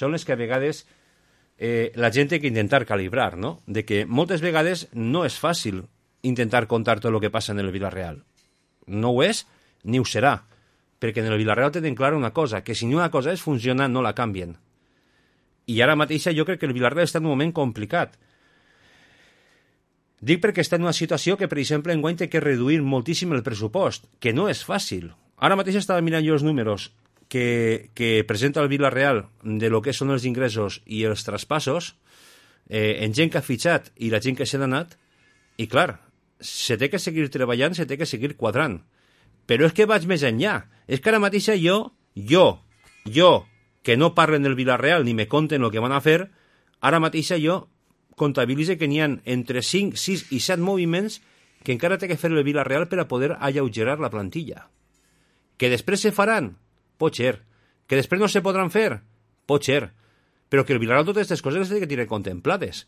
són les que a vegades la gent té que intentar calibrar, no? De que moltes vegades no és fàcil intentar contar tot el que passa en el Villarreal. No ho és, ni ho serà, perquè en el Villarreal tenen clara una cosa, que si una cosa es funciona, no la canvien. I ara mateixa jo crec que el Villarreal està en un moment complicat. Dic perquè està en una situació que, per exemple, enguany té que reduir moltíssim el pressupost, que no és fàcil. Ara mateix estava mirant jo els números que presenta el Villarreal de lo que són els ingressos i els traspassos, en gent que ha fitxat i la gent que se n'ha anat, i clar, se té que seguir treballant, se té que seguir quadrant. Però és que vaig més enllà. És que ara mateixa jo, que no parlen del Villarreal ni me conten el que van a fer, ara mateixa jo comptabilitze que n'hi ha entre 5, 6 i 7 moviments que encara té que fer el Villarreal per a poder alleugerar la plantilla. Que després se faran? Pot ser. Que després no se podran fer? Pot ser. Però que el Villarreal totes aquestes coses les té que tenir contemplades.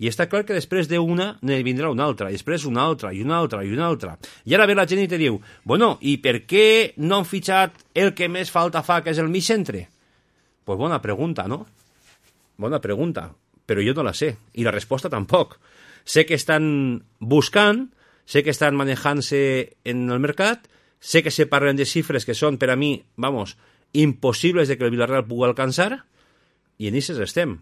I està clar que després d'una ne vindrà una altra, i després una altra, i una altra, i una altra. I ara ve la gent i te diu, bueno, i per què no han fitxat el que més falta fa, que és el mig centre? Pues bona pregunta, no? Bona pregunta, però jo no la sé, i la resposta tampoc. Sé que estan buscant, sé que estan manejant-se en el mercat, sé que se parlen de xifres que són, per a mi, vamos, impossibles de que el Villarreal pugui alcançar, i en aquestes estem.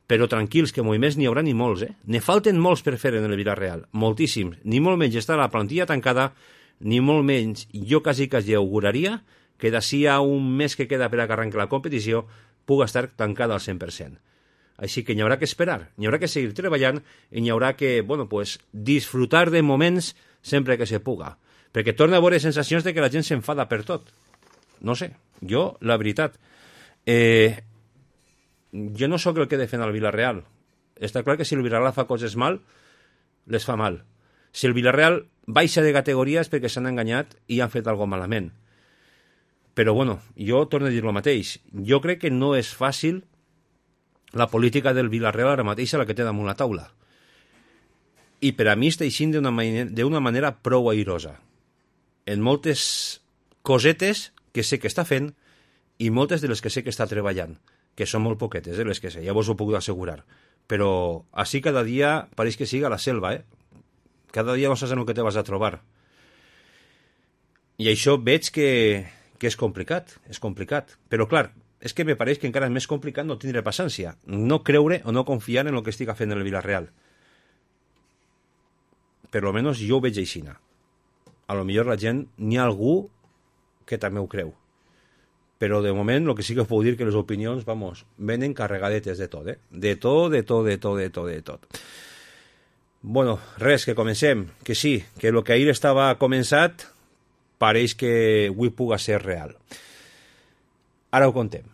Però tranquils, que moviments n'hi haurà ni molts, Ne falten molts per fer en el Villarreal, moltíssims. Ni molt menys està la plantilla tancada, ni molt menys jo quasi auguraria que d'ací a un mes que queda per a que arrenqui la competició pugui estar tancada al 100%. Així que n'hi haurà que esperar, n'hi haurà que seguir treballant i n'hi haurà que, bueno, pues, disfrutar de moments sempre que se puga. Perquè torna a veure sensacions de que la gent s'enfada per tot. No sé, jo, la veritat... jo no sóc el que defèn el Villarreal. Està clar que si el Villarreal fa coses mal, les fa mal. Si el Villarreal baixa de categoria és perquè s'han enganyat i han fet alguna malament. Però, bueno, jo torno a dir el mateix. Jo crec que no és fàcil la política del Villarreal ara mateix a la que té damunt la taula. I per a mi està eixint d'una manera prou airosa. En moltes cosetes que sé que està fent i moltes de les que sé que està treballant, que són molt poquetes, les que sé, ja vos ho puc assegurar. Però així cada dia pareix que siga la selva, Cada dia no saps en el que te vas a trobar. I això veig que és complicat, Però, clar, és que me pareix que encara és més complicat no tindre paciència, no creure o no confiar en el que estiga fent el Villarreal. Per lo menos jo ho veig aixina. A lo millor la gent, n'hi ha algú que també ho creu. Però de moment el que sí que us puc dir que les opinions, vamos, venen carregadetes de tot, De tot. Bueno, res, que comencem. Que sí, que el que ahir estava començat pareix que avui puga ser real. Ara ho contem.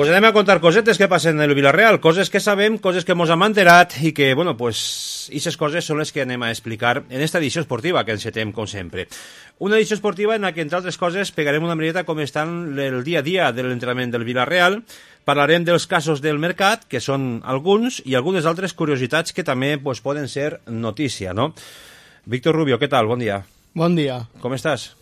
Pues anem a contar cosetes que passen en el Villarreal, coses que sabem, coses que mos hem enterat i que, bueno, pues, aquestes coses són les que anem a explicar en esta edició esportiva que encetem, com sempre. Una edició esportiva en la que, entre altres coses, pegarem una mireta com està el dia a dia de l'entrenament del Villarreal, parlarem dels casos del mercat, que són alguns, i algunes altres curiositats que també pues, poden ser notícia, no? Víctor Rubio, què tal? Bon dia. Bon dia. Com estàs?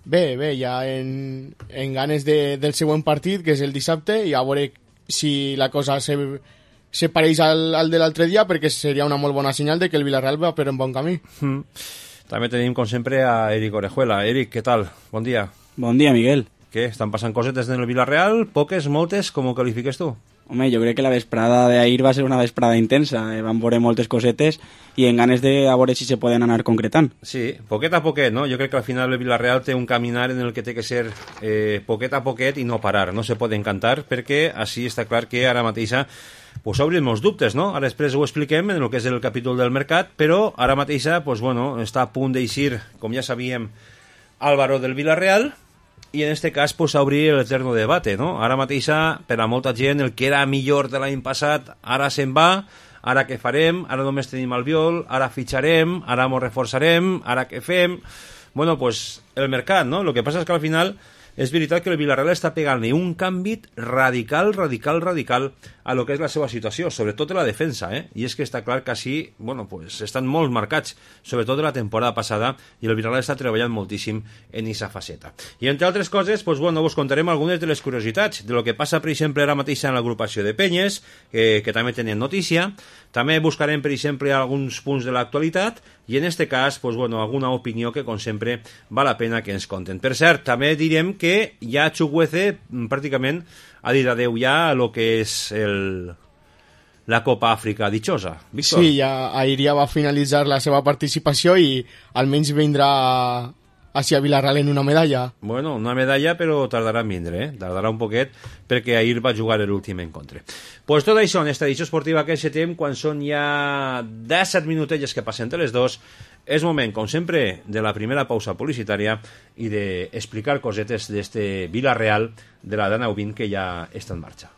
Bé, ja en ganes del següent partit, que és el dissabte, i a veure si la cosa se pareix al de l'altre dia, perquè seria una molt bona senyal de que el Villarreal va per un bon camí. També tenim, com sempre, a Eric Orejuela. Eric, què tal? Bon dia. Bon dia, Miguel. Què? Estan passant cosetes en el Villarreal? Poques, moltes? Com ho qualifiques tu? Home, jo crec que la vesprada d'ahir va ser una vesprada intensa. Van veure moltes cosetes i en ganes de a veure si se poden anar concretant. Sí, poquet a poquet, no? Jo crec que al final el Villarreal té un caminar en el que té que ser poquet a poquet i no parar. No se pot encantar perquè així està clar que ara mateixa pues obrin molts dubtes, no? Ara després ho expliquem en el que és el capítol del mercat, però ara mateixa, pues bueno, està a punt d'eixir, com ja sabíem, Álvaro del Villarreal, i en este cas pues obrir el eterno debate, no? Ara mateixa, per a molta gent, el que era millor de l'any passat, ara se'n va, ara què farem, ara només tenim Albiol, ara fitxarem, ara mos reforçarem, ara què fem... Bueno, pues el mercat, no? Lo que passa és que al final és veritat que el Villarreal està pegant-li un canvi radical a lo que és la seva situació, sobretot en la defensa, i és que està clar que així, bueno, pues estan molt marcats, sobretot de la temporada passada, i el Villarreal està treballant moltíssim en aquesta faceta. I entre altres coses, pues bueno, vos contarem algunes de les curiositats, de lo que passa, per exemple, ara mateix en l'agrupació de penyes, que també tenen notícia, també buscarem, per exemple, alguns punts de l'actualitat, i en este cas, pues bueno, alguna opinió que, com sempre, val la pena que ens conten. Per cert, també direm que ja Chukwueze pràcticament ha dit adeu ja a lo que és la Copa Àfrica Dichosa. Víctor? Sí, ahir ja va finalitzar la seva participació i almenys vindrà hacia Villarreal en una medalla. Bueno, una medalla, però tardarà en vindre, tardarà un poquet, perquè ahir va jugar l'últim encontre. Pues tot això en esta edició esportiva que encetem, quan són ja 17 minutelles que passen entre les dos, és moment, com sempre, de la primera pausa publicitària i d'explicar cosetes d'este Villarreal de la Dana U20 que ja està en marxa.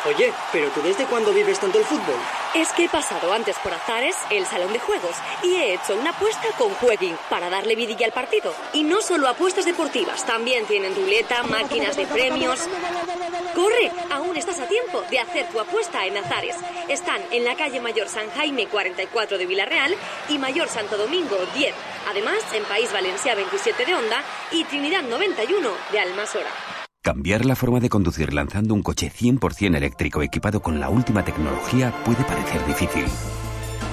Oye, ¿pero tú desde cuándo vives tanto el fútbol? Es que he pasado antes por Azares, el salón de juegos, y he hecho una apuesta con Jueguin para darle vidilla al partido. Y no solo apuestas deportivas, también tienen ruleta, máquinas de premios. ¡Corre! Aún estás a tiempo de hacer tu apuesta en Azares. Están en la calle Mayor San Jaime 44 de Villarreal y Mayor Santo Domingo 10. Además, en País Valencià 27 de Onda y Trinidad 91 de Almasora. Cambiar la forma de conducir lanzando un coche 100% eléctrico equipado con la última tecnología puede parecer difícil.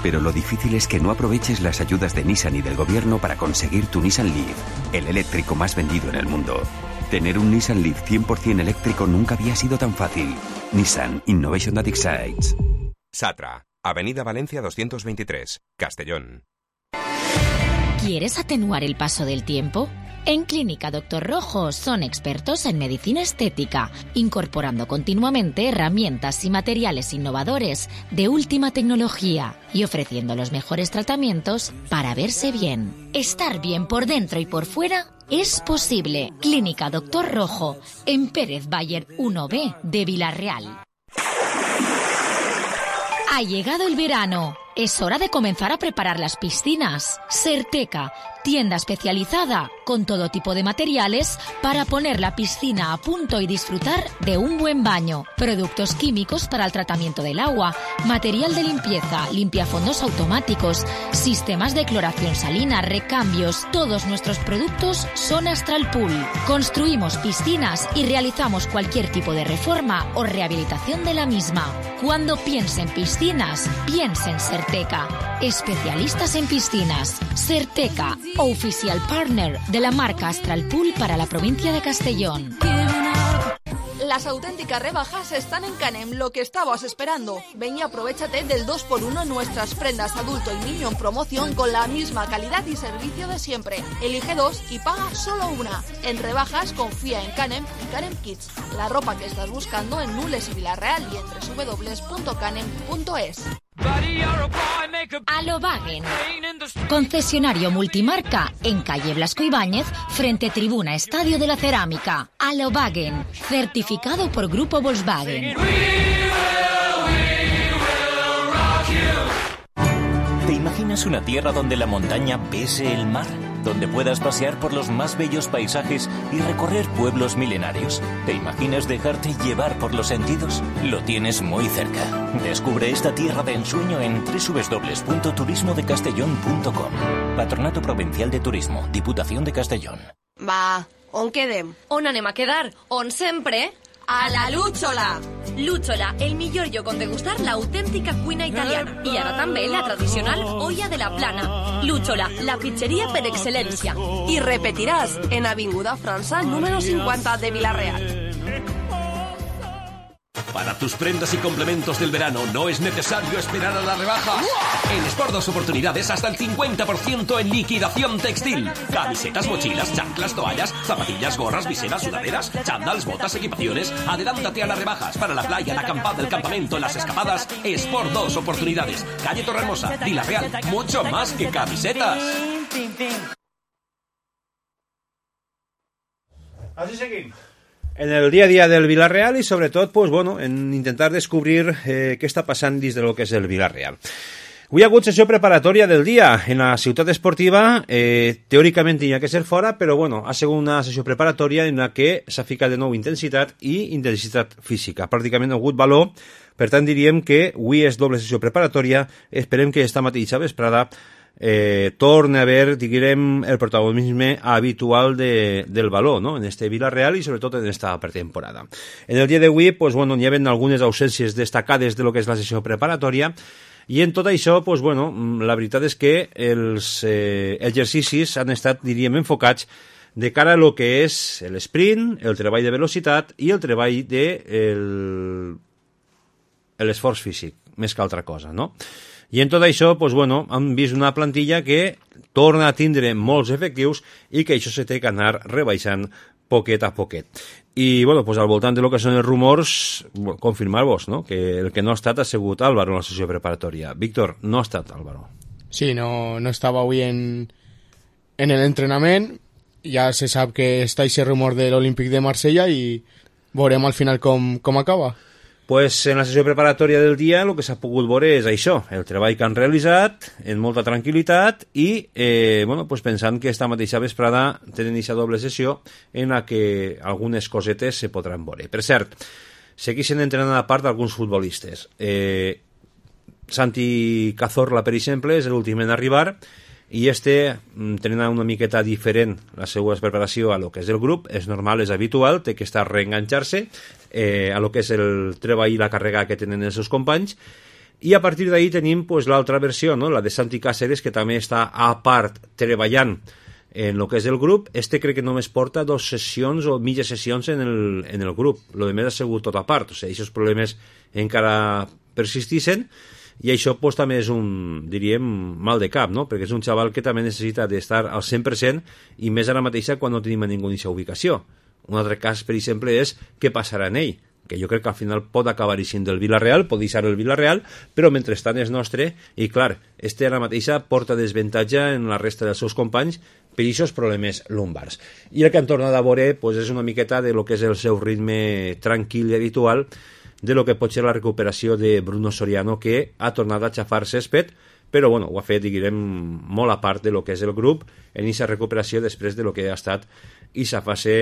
Pero lo difícil es que no aproveches las ayudas de Nissan y del gobierno para conseguir tu Nissan Leaf, el eléctrico más vendido en el mundo. Tener un Nissan Leaf 100% eléctrico nunca había sido tan fácil. Nissan Innovation That Excites. Satra, Avenida Valencia 223, Castellón. ¿Quieres atenuar el paso del tiempo? En Clínica Doctor Rojo son expertos en medicina estética, incorporando continuamente herramientas y materiales innovadores de última tecnología y ofreciendo los mejores tratamientos para verse bien. Estar bien por dentro y por fuera es posible. Clínica Doctor Rojo, en Pérez Bayer 1B de Villarreal. Ha llegado el verano. Es hora de comenzar a preparar las piscinas. Serteca, tienda especializada con todo tipo de materiales para poner la piscina a punto y disfrutar de un buen baño. Productos químicos para el tratamiento del agua, material de limpieza, limpiafondos automáticos, sistemas de cloración salina, recambios. Todos nuestros productos son Astral Pool. Construimos piscinas y realizamos cualquier tipo de reforma o rehabilitación de la misma. Cuando piense en piscinas, piense en Serteca. Especialistas en piscinas. Serteca, oficial partner de la marca Astral Pool para la provincia de Castellón. Las auténticas rebajas están en Canem, lo que estabas esperando. Ven y aprovéchate del 2x1 en nuestras prendas adulto y niño en promoción con la misma calidad y servicio de siempre. Elige 2 y paga solo una. En rebajas confía en Canem y Canem Kids. La ropa que estás buscando en Nules y Villarreal y en www.canem.es. Alobagen, concesionario multimarca en calle Blasco Ibáñez, frente Tribuna Estadio de la Cerámica. Alobagen, certificado por Grupo Volkswagen. ¿Te imaginas una tierra donde la montaña bese el mar? Donde puedas pasear por los más bellos paisajes y recorrer pueblos milenarios. ¿Te imaginas dejarte llevar por los sentidos? Lo tienes muy cerca. Descubre esta tierra de ensueño en www.turismodecastellón.com. Patronato Provincial de Turismo, Diputación de Castellón. Va, on quedem? On anem a quedar? On sempre? A la Lúchola! Lúchola, el millor lloc on degustar l'autèntica cuina italiana. I ara també la tradicional olla de la plana. Lúchola, la pizzeria per excel·lència. I repetiràs en Avinguda França, número 50 de Villarreal. Para tus prendas y complementos del verano no es necesario esperar a las rebajas. En Sport 2 Oportunidades hasta el 50% en liquidación textil. Camisetas, mochilas, chanclas, toallas, zapatillas, gorras, viseras, sudaderas, chándals, botas, equipaciones. Adelántate a las rebajas para la playa, la acampada, el campamento, las escapadas. Sport 2 Oportunidades. Calle Torremosa, Villarreal. Mucho más que camisetas. Así seguimos. En el día a día del Villarreal y sobretot, pues bueno, en intentar descobrir què està passant dins de lo que és el Villarreal. Avui ha hagut sessió preparatòria del dia en la ciutat esportiva, teòricament tenia que ser fora, però bueno, ha sigut una sessió preparatòria en la que s'ha ficat de nou intensitat i intensitat física. Pràcticament ha hagut valor, per tant diríem que avui és doble sessió preparatòria, esperem que esta mateixa vesprada torna a haver, diguem, el protagonisme habitual del valor, ¿no?, en este Villarreal y sobretot en esta pretemporada. En el dia d'avui, pues bueno, hi ha algunes ausències destacades de lo que és la sessió preparatòria i en tot això, pues bueno, la veritat és que els exercicis han estat, diríem, enfocats de cara a lo que és l'esprint, el treball de velocitat i el treball de l'esforç físic, més que altra cosa, no? I en tot això, pues bueno, hem vist una plantilla que torna a tindre molts efectius i que això se té que anar rebaixant poquet a poquet. I, bueno, pues al voltant de lo que són els rumors, bueno, confirmar-vos, no?, que el que no ha estat ha sigut Álvaro en la sessió preparatòria. Víctor, no ha estat Álvaro. Sí, no estava avui en el entrenament. Ja se sap que està aquest rumor de l'Olímpic de Marsella i veurem al final com acaba. Pues en la sessió preparatòria del dia el que s'ha pogut veure és això, el treball que han realitzat en molta tranquil·litat i bueno, pues pensant que esta mateixa vesprada tenen aquesta doble sessió en la que algunes cosetes se podran veure. Per cert, segueixen entrenant a part alguns futbolistes. Santi Cazorla, per exemple, és l'últim en arribar i tenen una miqueta diferent la seva preparació a lo que és el grup, és normal, és habitual, té que estar reenganxar-se a lo que és el treball i la càrrega que tenen els seus companys, i a partir d'ahí tenim pues, l'altra versió, no?, la de Santi Cáceres, que també està a part treballant en lo que és el grup. Crec que només porta 2 sessions o mitges sessions en el grup, lo de més ha sigut tot a part, o sigui, aquests problemes encara persistixen. I això pues, també és un, diríem, mal de cap, no?, perquè és un xaval que també necessita d'estar al 100% i més ara mateixa quan no tenim a ningú en aquesta ubicació. Un altre cas, per exemple, és què passarà en ell, que jo crec que al final pot acabar sent del Villarreal, pot deixar el Villarreal, però mentrestant és nostre i clar, ara mateixa porta desavantatge en la resta dels seus companys per aquests problemes lumbars. I el que han tornat a veure pues, és una miqueta de lo que és el seu ritme tranquil i habitual, de lo que pot ser la recuperació de Bruno Soriano, que ha tornat a xafar césped, però bueno, ho ha fet, diguem, molt a part de lo que és el grup en aquesta recuperació després de lo que ha estat aquesta fase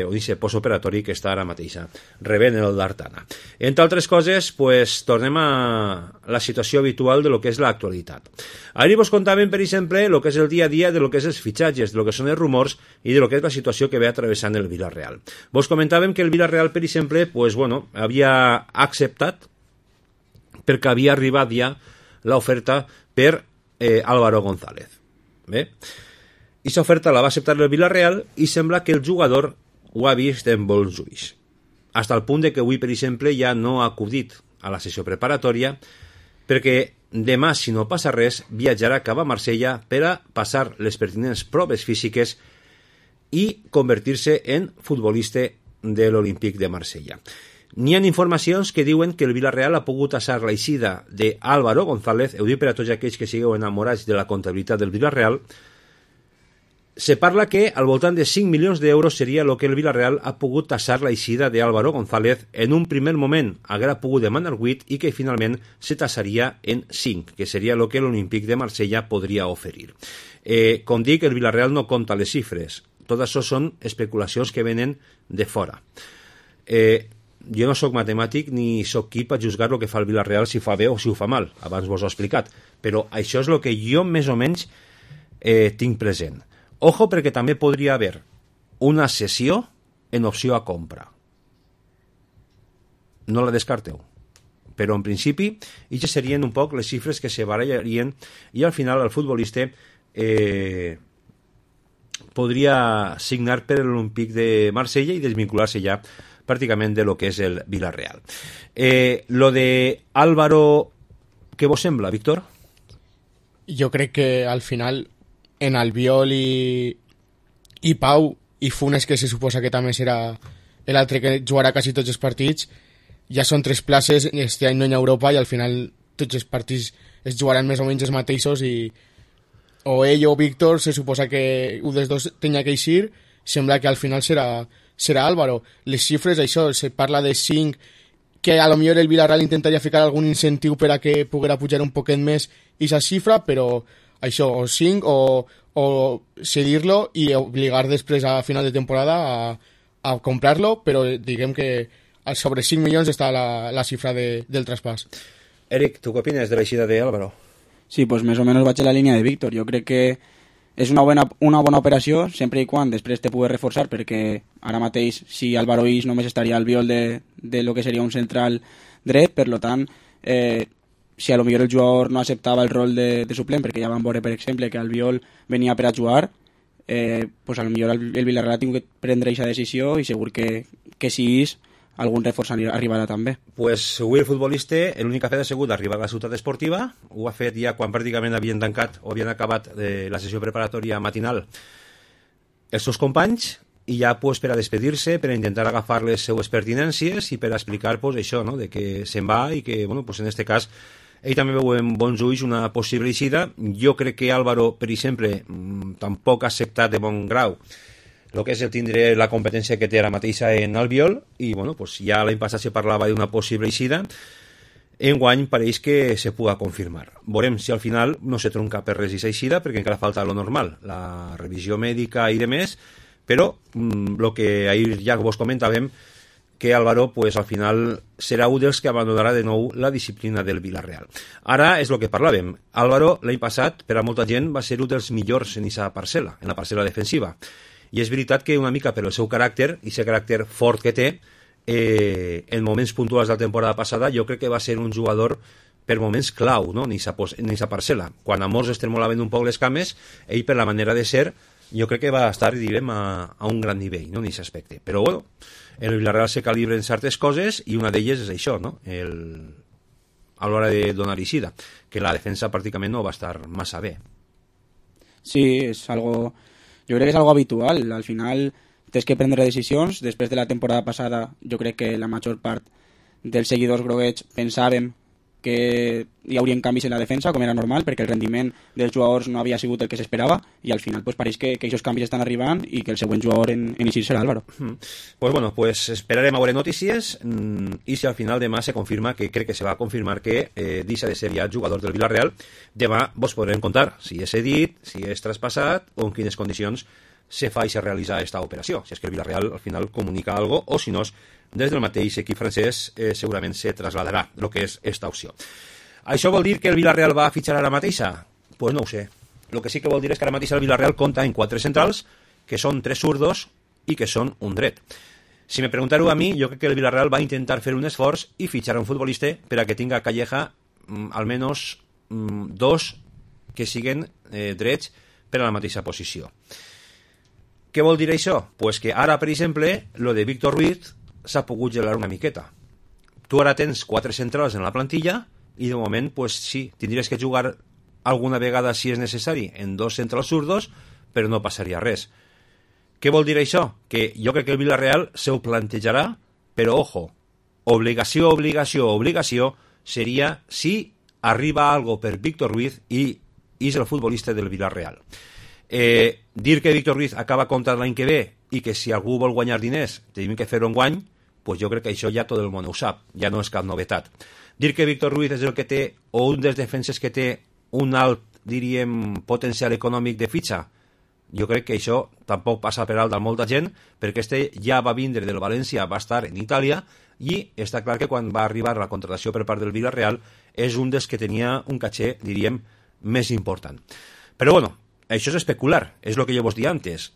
o aquest postoperatori que està ara mateixa rebent el d'Artana. Entre altres coses, pues, tornem a la situació habitual de lo que és l'actualitat. Ahir vos contàvem, per exemple, lo que és el dia a dia de lo que és els fitxatges, de lo que són els rumors i de lo que és la situació que ve atravessant el Villarreal. Vos comentàvem que el Villarreal, per exemple, pues, bueno, havia acceptat perquè havia arribat ja l'oferta per Álvaro González. Bé? I l'oferta la va acceptar el Villarreal i sembla que el jugador ho ha vist en bons ulls. Hasta el punt de que avui, per exemple, ja no ha acudit a la sessió preparatòria perquè demà, si no passa res, viatjarà cap a Marsella per a passar les pertinents proves físiques i convertir-se en futbolista de l'Olímpic de Marsella. N'hi ha informacions que diuen que el Villarreal ha pogut assar l'eixida d'Álvaro González. Ho dic per a tots aquells que sigueu enamorats de la comptabilitat del Villarreal. Se parla que al voltant de 5 milions d'euros seria el que el Villarreal ha pogut tassar l'eixida d'Álvaro González. En un primer moment haguera pogut demanar 8 i que finalment se tassaria en 5, que seria el que l'Olímpic de Marsella podria oferir. Com dic, el Villarreal no compta les xifres. Tot això són especulacions que venen de fora. Jo no sóc matemàtic ni sóc qui per juzgar el que fa el Villarreal, si fa bé o si ho fa mal. Abans vos ho he explicat. Però això és el que jo més o menys tinc present. Ojo, perquè també podria haver una cessió en opció a compra. No la descarteu. Però en principi, aquestes serien un poc les xifres que se barallarien i al final el futbolista podria signar per l'Olímpic de Marsella i desvincular-se ja pràcticament de lo que és el Villarreal. Lo de Álvaro, què vos sembla, Víctor? Jo crec que al final en Albiol i Pau i Funes, que se suposa que també serà l'altre que jugarà quasi tots els partits, ja són 3 places este any no en Europa i al final tots els partits es jugaran més o menys els mateixos i o ell o Víctor se suposa que un dels dos tenia que eixir. Sembla que al final serà Álvaro. Les xifres, això, se parla de 5, que a lo millor el Villarreal intentaria ficar algun incentiu per a que poguera pujar un poquet més aquesta xifra, però això, o 5 o cedir-lo i obligar després a final de temporada a comprar-lo, però diguem que sobre 5 milions està la xifra del traspàs. Eric, tu què opines de l'eixida d'Álvaro? Sí, pues més o menys vaig a la línia de Víctor. Jo crec que és una bona operació, sempre i quan després te pugui reforçar, perquè ara mateix, si Álvaro ix, només estaria al viol de lo que seria un central dret, per tant, si a lo millor el jugador no acceptava el rol de suplent, perquè ja vam veure, per exemple, que Albiol venia per a jugar, pues a lo millor el Villarreal ha tingut que prendre aquesta decisió i segur que si ix, algun reforç arribarà també. Pues avui el futbolista l'únic que ha fet ha sigut arribar a la ciutat esportiva. Ho ha fet ja quan pràcticament havien tancat o havien acabat la sessió preparatòria matinal els seus companys i ja pues, per a despedir-se, per a intentar agafar les seues pertinències i per a explicar pues, això, no? De que se'n va i que bueno, pues, en este cas ell també veu en bons ulls una possible eixida. Jo crec que Álvaro, per exemple, tampoc ha acceptat de bon grau el que és el tindre la competència que té ara mateixa en Albiol i bueno, pues ja l'any passat se parlava d'una possible eixida. Enguany pareix que se puga confirmar. Veurem si al final no se tronca per res aquesta eixida perquè encara falta lo normal, la revisió mèdica i demés, però el que ahir ja vos comentàvem que Álvaro pues, al final serà un dels que abandonarà de nou la disciplina del Villarreal. Ara és el que parlàvem. Álvaro l'any passat, per a molta gent, va ser un dels millors en aquesta parcel·la, en la parcel·la defensiva. I és veritat que una mica per el seu caràcter, i aquest caràcter fort que té, en moments puntuals de la temporada passada, jo crec que va ser un jugador per moments clau, no? en aquesta parcel·la. Quan a molts es tremolaven un poc les cames, ell per la manera de ser, jo crec que va estar, direm, a un gran nivell, no? en aquest aspecte. Però bueno, el Villarreal se calibra en certes coses i una d'elles és això, no? A l'hora de donar eixida, que la defensa pràcticament no va estar massa bé. Sí, és algo... Jo crec que és algo habitual. Al final tens que prendre decisions. Després de la temporada passada, jo crec que la major part dels seguidors groguets pensàvem que hi haurien canvis en la defensa, com era normal, perquè el rendiment dels jugadors no havia sigut el que s'esperava, i al final pues, pareix que aquests canvis estan arribant i que el següent jugador en eixir serà Álvaro. Pues bueno, pues esperarem a veure notícies i si al final demà se confirma, que crec que se va confirmar que deixa de ser ja jugador del Villarreal, demà vos podrem contar si és cedit, si és traspassat o en quines condicions se fa i se realitza aquesta operació, si és que el Villarreal al final comunica algo o si no, des del mateix equip francès segurament se trasladarà el que és esta opció. Això vol dir que el Villarreal va a fitxar ara mateixa? Pues no ho sé. El que sí que vol dir és que ara mateix el Villarreal compta en 4 centrals, que són 3 zurdos i que són un dret. Si me preguntareu a mi, jo crec que el Villarreal va intentar fer un esforç i fitxar un futbolista per a que tinga Calleja almenys 2 que siguen drets per a la mateixa posició. Què vol dir això? Pues que ara, per exemple, lo de Víctor Ruiz s'ha pogut gelar una miqueta. Tu ara tens 4 centrals en la plantilla i de moment, pues sí, tindries que jugar alguna vegada, si és necessari, en 2 centrals zurdos, però no passaria res. Què vol dir això? Que jo crec que el Villarreal se ho plantejarà, però ojo, obligació seria si arriba algo per Víctor Ruiz i és el futbolista del Villarreal. Dir que Víctor Ruiz acaba contrat l'any que ve i que si algú vol guanyar diners tenim que fer-ho enguany, pues jo crec que això ja tot el món ho sap, ja no és cap novetat. Dir que Víctor Ruiz és el que té, o un dels defenses que té un alt, diríem, potencial econòmic de fitxa, jo crec que això tampoc passa per alt a molta gent, perquè este ja va vindre del València, va estar en Itàlia, i està clar que quan va arribar la contratació per part del Villarreal és un dels que tenia un caché, diríem, més important. Però bueno, això és especular, és el que jo vos dia antes.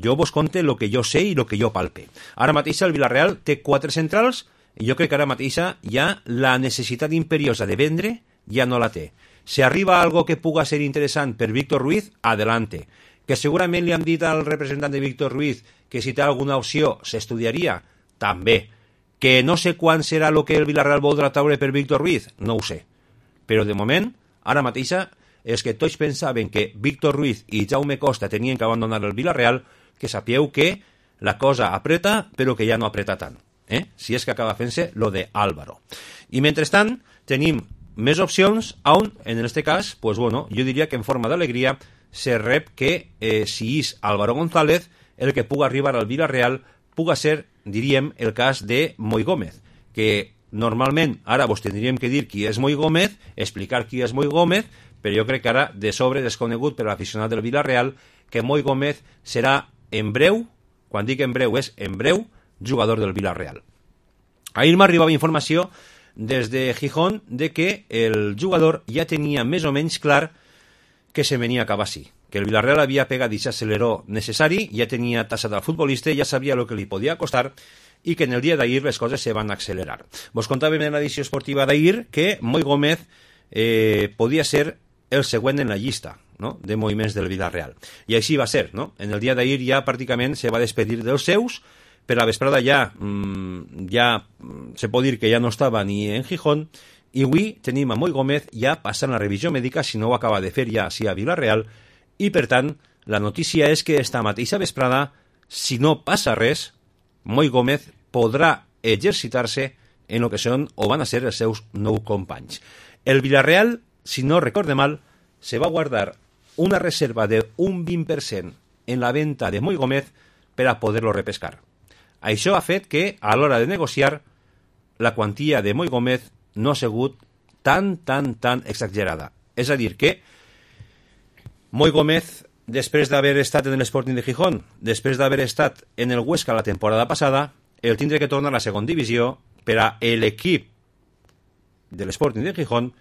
Jo vos conte el que jo sé i el que jo palpe. Ara mateix el Villarreal té 4 centrals i jo crec que ara mateix ja la necessitat imperiosa de vendre ja no la té. Si arriba algo que puga ser interessant per Víctor Ruiz, adelante. Que segurament li han dit al representant de Víctor Ruiz que si té alguna opció s'estudiaria, també. Que no sé quan serà el que el Villarreal voldrà treure per Víctor Ruiz, no ho sé. Però de moment, ara mateix, és que tots pensaven que Víctor Ruiz i Jaume Costa tenien que abandonar el Villarreal, que sapieu que la cosa apreta, però que ja no apreta tant. Si és que acaba fent-se lo de Álvaro. I mentrestant, tenim més opcions on, en este cas, pues bueno, jo diria que en forma d'alegria se rep que si és Álvaro González el que puga arribar al Villarreal puga ser, diríem, el cas de Moi Gómez, que normalment ara vos tindríem que dir qui és Moi Gómez, explicar qui és Moi Gómez, però jo crec que ara de sobre desconegut per l'aficionat del Villarreal que Moi Gómez serà en breu, quan dic en breu és en breu, jugador del Villarreal. Ahir m'arribava informació des de Gijón de que el jugador ja tenia més o menys clar que se venia cap així, que el Villarreal havia pegat i s'acceleró necessari, ja tenia tassat al futbolista, ja sabia el que li podia costar i que en el dia d'ahir les coses se van accelerar. Vos contàvem en l'edició esportiva d'ahir que Moi Gómez podia ser el següent en la llista, no?, de moviments del Villarreal. I així va ser, no? En el dia d'ahir ja pràcticament se va despedir dels seus, per la vesprada ja se pot dir que ja no estava ni en Gijón, i avui tenim a Moi Gómez ja passant la revisió mèdica, si no ho acaba de fer ja així a Villarreal, i per tant la notícia és que esta mateixa vesprada, si no passa res, Moi Gómez podrà exercitar-se en el que són o van a ser els seus 9 companys. El Villarreal, si no recorde mal, se va guardar una reserva de un 20% en la venta de Moi Gómez per a poder-lo repescar. Això ha fet que, a l'hora de negociar, la quantia de Moi Gómez no ha sigut tan exagerada. És a dir, que Moi Gómez, després d'haver estat en l'Sporting de Gijón, després d'haver estat en el Huesca la temporada passada, el tindrà que tornar a la segona divisió per a l'equip de l'Sporting de Gijón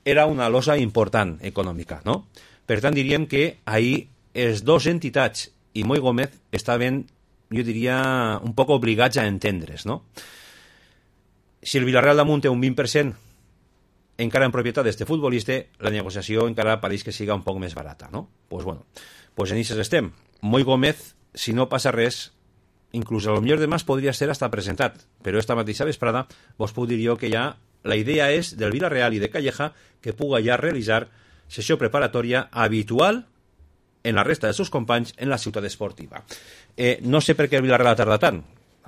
era una losa important econòmica, no? Per tant, diríem que ahir els dos entitats i Moi Gómez estaven, jo diria, un poc obligats a entendre's, no? Si el Villarreal damunt té un 20% encara en propietat d'este futbolista, la negociació encara pareix que siga un poc més barata, no? Pues bueno, pues en ixes estem. Moi Gómez, si no passa res, inclús a lo millor demà podria ser hasta presentat, però esta mateixa vesprada vos puc dir jo que ja la idea és del Villarreal i de Calleja que puga ja realitzar sessió preparatòria habitual en la resta dels seus companys en la ciutat esportiva. No sé per què el Villarreal ha tardat tant,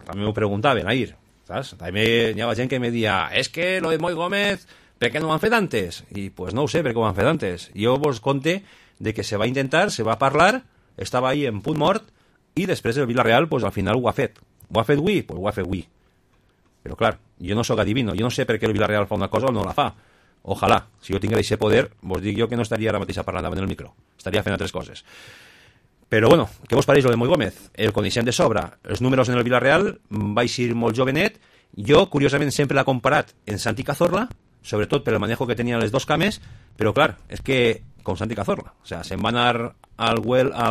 també m'ho preguntaven ahir, saps? També hi havia gent que me deia, és que lo de Moi Gómez, per què no ho han fet antes? I pues no ho sé per què ho han fet antes. Jo vos conte de que se va intentar, se va parlar, estava ahí en punt mort, i després el Villarreal pues, al final ho ha fet. Ho ha fet avui? Pues ho ha fet avui. Però clar, jo no sóc adivino, jo no sé per què el Villarreal fa una cosa o no la fa. Ojalà, si jo tingués aquest poder, vos dic jo que no estaria ara mateix parlant davant del micro. Estaria fent altres coses. Però bueno, què vos pareix lo de Moi Gómez? El coneixem de sobre. Els números en el Villarreal va ser molt jovenet. Jo, curiosament, sempre l'ha comparat en Santi Cazorla, sobretot per el manejo que tenien les dos cames, però clar, és que com Santi Cazorla, o sea, se'n va anar al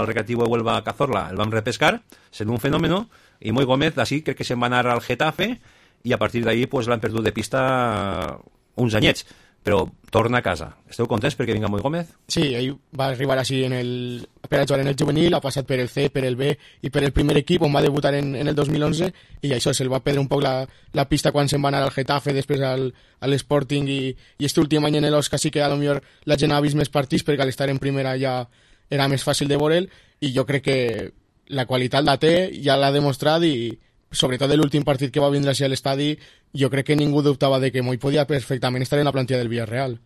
recreativo de Huelva a Cazorla, el vam repescar, sent un fenómeno, i Moi Gómez, així, crec que se'n va anar al Getafe, i a partir d'ahí pues, l'han perdut de pista uns anyets. però torna a casa. Esteu contents perquè vinga Moi Gómez? Sí, ell va arribar així per a jugar en el juvenil, ha passat per el C, per el B i per el primer equip, on va debutar en el 2011, i això se'l va perdre un poc la pista quan se'n va anar al Getafe, després a l'Sporting, i este últim any en l'Osca sí que a lo millor la gent ha vist més partits, perquè al estar en primera ja era més fàcil de veure'l, i jo crec que la qualitat la té, ja l'ha demostrat, i sobretot l'últim partit que va vindre així a l'estadi, jo crec que ningú dubtava de que Moi podia perfectament estar en la plantilla del Villarreal.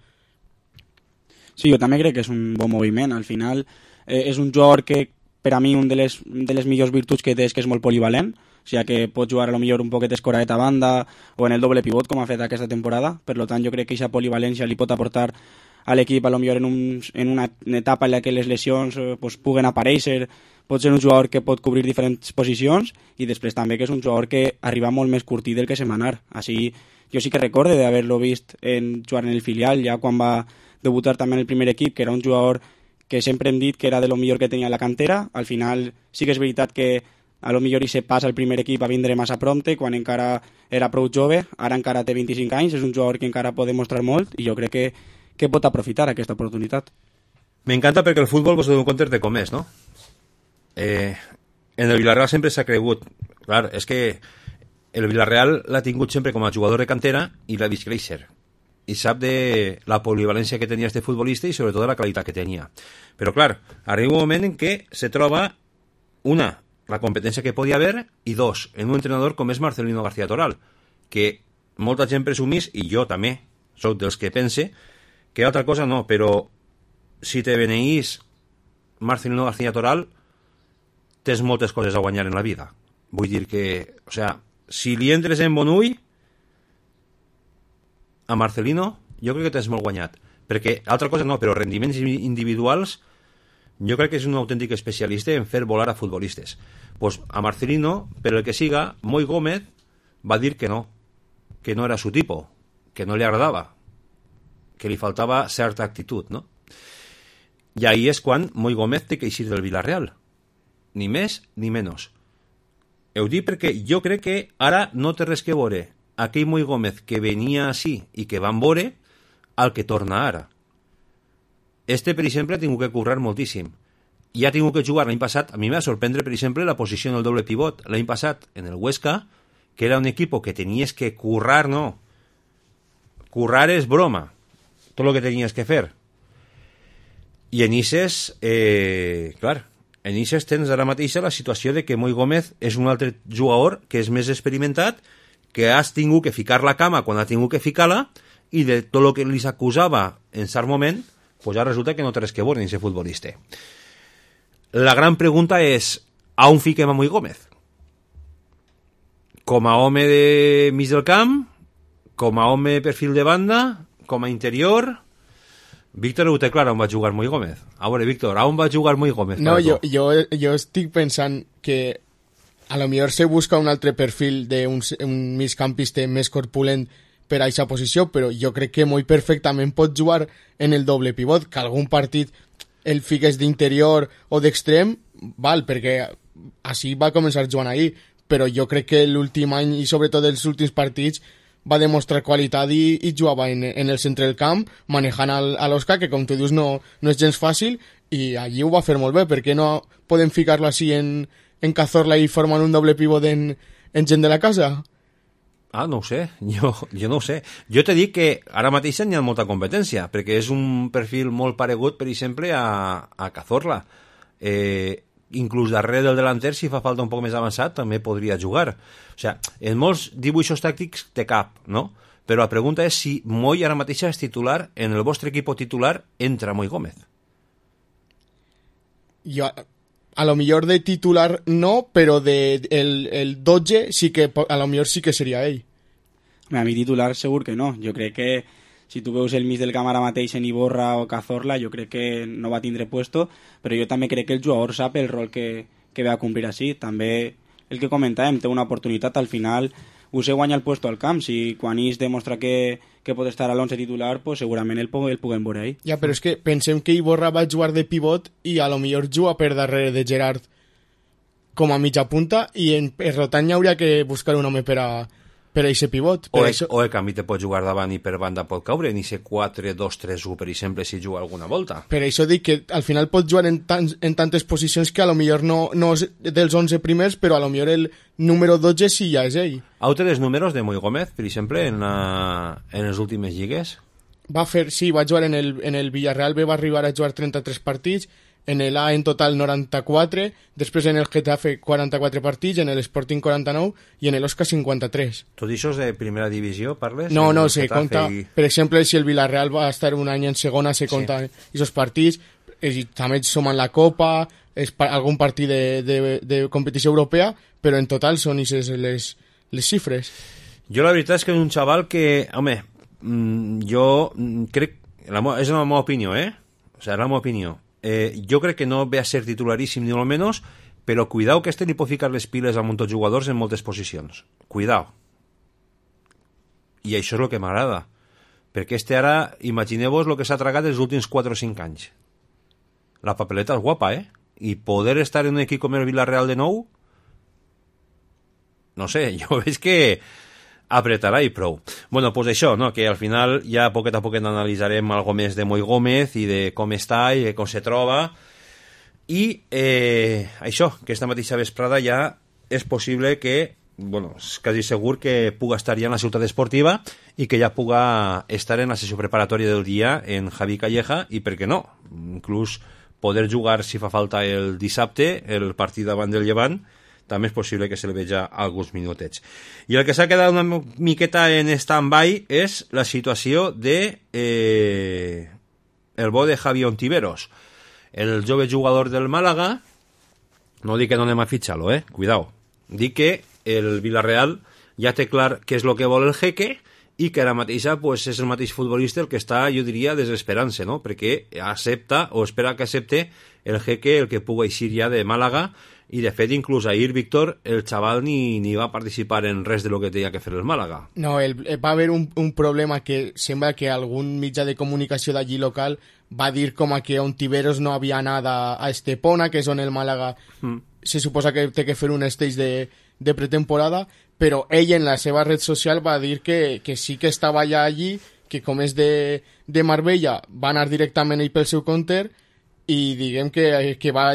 Sí, jo també crec que és un bon moviment. Al final és un jugador que per a mi un de les millors virtuts que té és que és molt polivalent, o sigui que pot jugar a lo millor un poquet escoradet a banda o en el doble pivot com ha fet aquesta temporada. Per tant, jo crec que aquesta polivalència li pot aportar a l'equip a lo millor en una etapa en la que les lesions pues, puguen aparèixer. Pot ser un jugador que pot cobrir diferents posicions i després també que és un jugador que arriba molt més curtit del que se'n va anar. Així, jo sí que recorde d'haver-lo vist jugar en el filial, ja quan va debutar també en el primer equip, que era un jugador que sempre hem dit que era de lo millor que tenia la cantera. Al final sí que és veritat que a lo millor se passa al primer equip a vindre massa prompte, quan encara era prou jove, ara encara té 25 anys, és un jugador que encara pot demostrar molt i jo crec que pot aprofitar aquesta oportunitat. M'encanta perquè el futbol vos dono compte de com és, no? En el Villarreal sempre s'ha cregut, clar, és que el Villarreal l'ha tingut sempre com a jugador de cantera i l'ha vist créixer i sap de la polivalència que tenia este futbolista i sobretot de la qualitat que tenia. Però clar, arriba un moment en què se troba una, la competència que podia haver, i dos, en un entrenador com és Marcelino García Toral, que molta gent presumís, i jo també soc dels que pense, que altra cosa no, però si te beneís Marcelino García Toral tens moltes coses a guanyar en la vida. Vull dir que, o sea, si li entres en bon ull a Marcelino, jo crec que tens molt guanyat. Perquè, altra cosa no, però rendiments individuals, jo crec que és un autèntic especialista en fer volar a futbolistes. Pues a Marcelino, per el que siga, Moi Gómez va dir que no era su tipo, que no li agradava, que li faltava certa actitud, no? I ahí és quan Moi Gómez té que eixir del Villarreal. Ni més ni menys. Ho dic perquè jo crec que ara no té res que veure aquell Moi Gómez que venia així i que van veure al que torna ara. Este, per exemple, ha tingut que currar moltíssim. I ha tingut que jugar l'any passat. A mi m'ha sorprendre, per exemple, la posició en el doble pivot. L'any passat, en el Huesca, que era un equip que tenies que currar, no. Currar és broma. Tot el que tenies que fer. I en Ises, clar, en Ises tens ara mateix la situació de que Moi Gómez és un altre jugador que és més experimentat, que has tingut que ficar la cama quan ha tingut que ficar-la, i de tot el que li s'acusava en cert moment, pues ara resulta que no té res que veure en aquest futbolista. La gran pregunta és, a on fiquem a Moi Gómez? Com a home de mig del camp? Com a home perfil de banda? Com a interior? Víctor ho té clar on va jugar Moi Gómez. A veure, Víctor, on va jugar Moi Gómez? No, jo estic pensant que a lo millor se busca un altre perfil d'un migcampista més corpulent per a aquesta posició, però jo crec que Moi perfectament pot jugar en el doble pivot, que algun partit el fiques d'interior o d'extrem, val, perquè així va començar jugant ahir, però jo crec que l'últim any i sobretot els últims partits va demostrar qualitat i jugava en el centre del camp, manejant a l'Oscar, que com tu dius no és gens fàcil, i allí ho va fer molt bé. Per què no podem ficar-lo així en Cazorla i formant un doble pivot en gent de la casa? Ah, no ho sé, jo no ho sé. Jo te dic que ara mateix n'hi ha molta competència, perquè és un perfil molt paregut, per exemple, a Cazorla. Inclús darrere del delanter, si fa falta un poc més avançat, també podria jugar. O sigui, en molts dibuixos tàctics té cap, no? Però la pregunta és si Moi ara mateix és titular, en el vostre equip titular entra Moi Gómez. Jo, a lo millor de titular no, però el 12 sí que, a lo millor sí que seria ell. A mi titular segur que no. Jo crec que si tu veus el mig del camp ara mateix en Iborra o Cazorla, jo crec que no va tindre puesto, però jo també crec que el jugador sap el rol que ve a complir així. També el que comentàvem, té una oportunitat, al final se guanya el puesto al camp. Si quan ells demostra que pot estar a l'11 titular, pues segurament el puguem veure ahí. Ja, però és que pensem que Iborra va jugar de pivot i a lo millor juga per darrere de Gerard com a mitja punta, i en Rotan hauria que buscar un home per per aquest pivot. O el canvi te pot jugar davant i per banda pot caure, ni ser 4-2-3-1, per exemple, si juga alguna volta. Per això dic que al final pot jugar en tantes posicions que a lo millor no és dels 11 primers, però a lo millor el número 12 sí ja és ell. Heu té els números de Moi Gómez, per exemple, en les últimes lligues? Va jugar en el Villarreal B, va arribar a jugar 33 partits, en el A en total 94, després en el Getafe 44 partits, en el Sporting 49 i en el Osca 53. Tot això és de primera divisió, parles? No, se compta, per exemple, si el Villarreal va estar un any en segona, se compta aquests partits, i també sumen la Copa, algun partit de competició europea, però en total són les xifres. Jo la veritat és que és un xaval que, home, jo crec, és la meva opinió, O sigui, la meva opinió. Jo crec que no ve a ser titularíssim ni molt menys, però cuidao que li pot ficar les piles a molts jugadors en moltes posicions. Cuidao. I això és el que m'agrada. Perquè ara, imagineu-vos el que s'ha tragat els últims 4 o 5 anys. La papeleta és guapa, I poder estar en un equip com el Villarreal de nou, no sé, jo veig que apretarà i prou. Bueno, pues això, no? Que al final ja poquet a poquet analitzarem algo més de Moi Gómez i de com està i de com se troba. I això, que esta mateixa vesprada ja és possible que, bueno, és quasi segur que puga estar ja en la ciutat esportiva i que ja puga estar en la sessió preparatòria del dia en Javi Calleja i, per què no, inclús poder jugar, si fa falta, el dissabte, el partit davant del Llevant, també és possible que se li veja alguns minutets. I el que s'ha quedat una miqueta en stand-by és la situació de el bo de Javi Ontiveros, el jove jugador del Màlaga. No dic que no anem a fitxar-lo, cuidao. Dic que el Villarreal ja té clar què és el que vol el Jeque i que ara mateixa pues, és el mateix futbolista el que està, jo diria, desesperant-se, no? Perquè accepta o espera que accepte el Jeque el que pugui eixir ja de Màlaga. I de fet, inclús ahir, Víctor, el xaval ni va participar en res de lo que tenia que fer el Màlaga. No, va haver un problema que sembla que algun mitjà de comunicació d'allí local va dir com a que Ontiveros no havia anat a Estepona, que és on el Màlaga se suposa que té que fer un stage de pretemporada, però ell en la seva red social va dir que sí que estava ja allí, que com és de Marbella va anar directament ell pel seu compte i diguem que va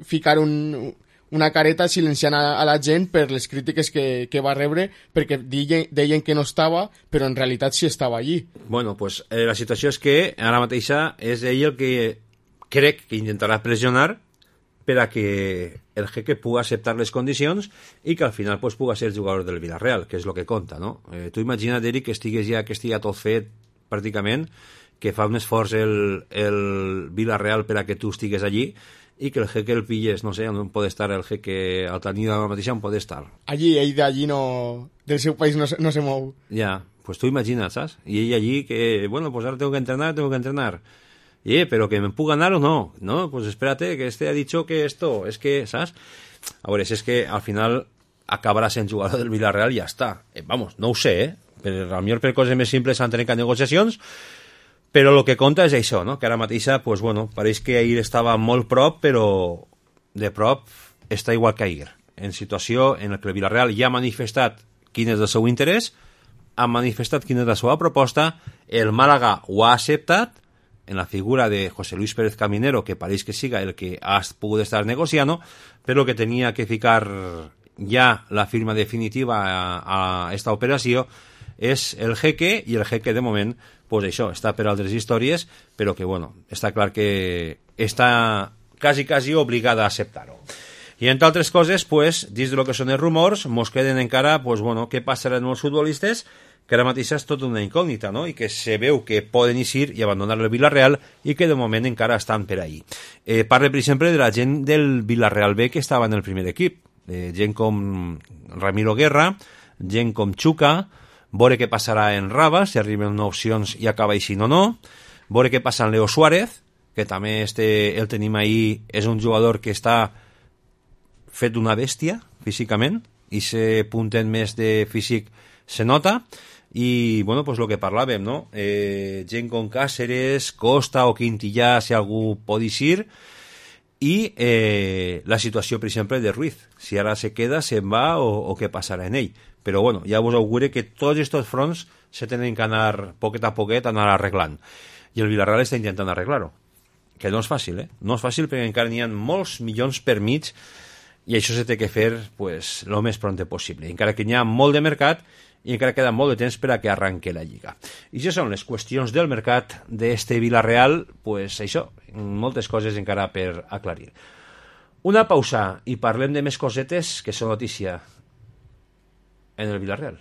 ficar una careta silenciant a la gent per les crítiques que va rebre, perquè deien que no estava, però en realitat sí estava allí. Bueno, pues la situació és que ara mateixa és ell el que crec que intentarà pressionar per a que el Jeque pugui acceptar les condicions i que al final pues, pugui ser el jugador del Villarreal, que és el que compta, no? Tu imagina't, Eric, que estigui tot fet pràcticament, que fa un esforç el Villarreal per a que tu estigues allí i que el Jeque el pilles, no sé, on pot estar el Jeque al tenir la mateixa, on pot estar. Allí, ell d'allí no... del seu país no se mou. Ja, pues tu imagina't, saps? I ell allí que, bueno, pues ahora tengo que entrenar. Pero que me puga ganar o no. No, pues espérate, que este ha dicho que esto, es que, ¿sabes? A veure, si és que al final acabarà sent jugador del Villarreal i ja està. Vamos, no ho sé, però a millor per coses més simples s'han trencat negociacions, però el que compta és això, no? Que ara mateixa, pues bueno, pareix que ahir estava molt prop, però de prop està igual que ahir. En situació en què el Villarreal ja ha manifestat quin és el seu interès, ha manifestat quina és la seva proposta, el Màlaga ho ha acceptat, en la figura de José Luis Pérez Caminero, que pareix que siga el que ha pogut estar negociant, però que tenia que ficar ja la firma definitiva a esta operació és el Jeque, i el Jeque de moment pues això, està per altres històries, però que bueno, està clar que està quasi obligada a acceptar-ho. I entre altres coses, pues, dins de lo que són els rumors, mos queden encara, pues bueno, què passarà amb els futbolistes, que ara mateix és tot una incògnita, no? I que se veu que poden eixir i abandonar el Villarreal i que de moment encara estan per ahí. Parle, per exemple, de la gent del Villarreal B que estava en el primer equip, gent com Ramiro Guerra, gent com Chuca, veure què passarà en Raba, si arriben opcions i acaba eixint o no, veure què passa en Leo Suárez, que també el tenim ahí, és un jugador que està fet una bèstia físicament, i se punten més de físic se nota, i bueno, pues lo que parlàvem, no? Gent com Cáceres, Costa o Quintillà, si algú pot eixir, i la situació, per exemple, de Ruiz, si ara se queda, se'n va o què passarà en ell. Però bueno, ja vos augure que tots aquests fronts se tenen que anar poquet a poquet anar arreglant, i el Villarreal està intentant arreglar-ho, que no és fàcil, no és fàcil perquè encara n'hi ha molts milions per mig i això se té que fer pues, lo més pronte possible, encara que n'hi ha molt de mercat i encara queda molt de temps per a que arranque la Lliga. I això són les qüestions del mercat d'este Villarreal, pues això, moltes coses encara per aclarir. Una pausa i parlem de més cosetes que són notícia en el Villarreal.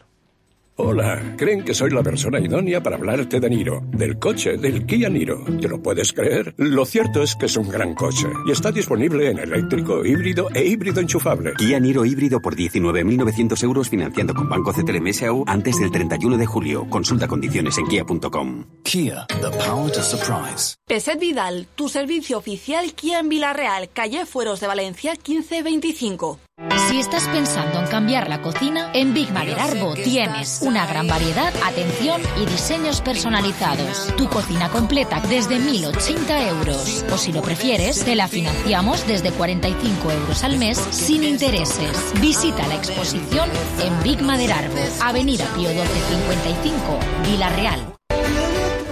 Hola, creen que soy la persona idónea para hablarte de Niro, del coche, del Kia Niro. ¿Te lo puedes creer? Lo cierto es que es un gran coche y está disponible en eléctrico, híbrido e híbrido enchufable. Kia Niro híbrido por 19.900 euros financiando con Banco CTLM S.A.U. antes del 31 de julio. Consulta condiciones en kia.com. Kia, the power to surprise. Peset Vidal, tu servicio oficial Kia en Villarreal, calle Fueros de Valencia 1525. Si estás pensando en cambiar la cocina, en Big Mader Arbo tienes una gran variedad, atención y diseños personalizados. Tu cocina completa desde 1.080 euros. O si lo prefieres, te la financiamos desde 45 euros al mes sin intereses. Visita la exposición en Big Mader Arbo, Avenida Pío XII 55, Villarreal.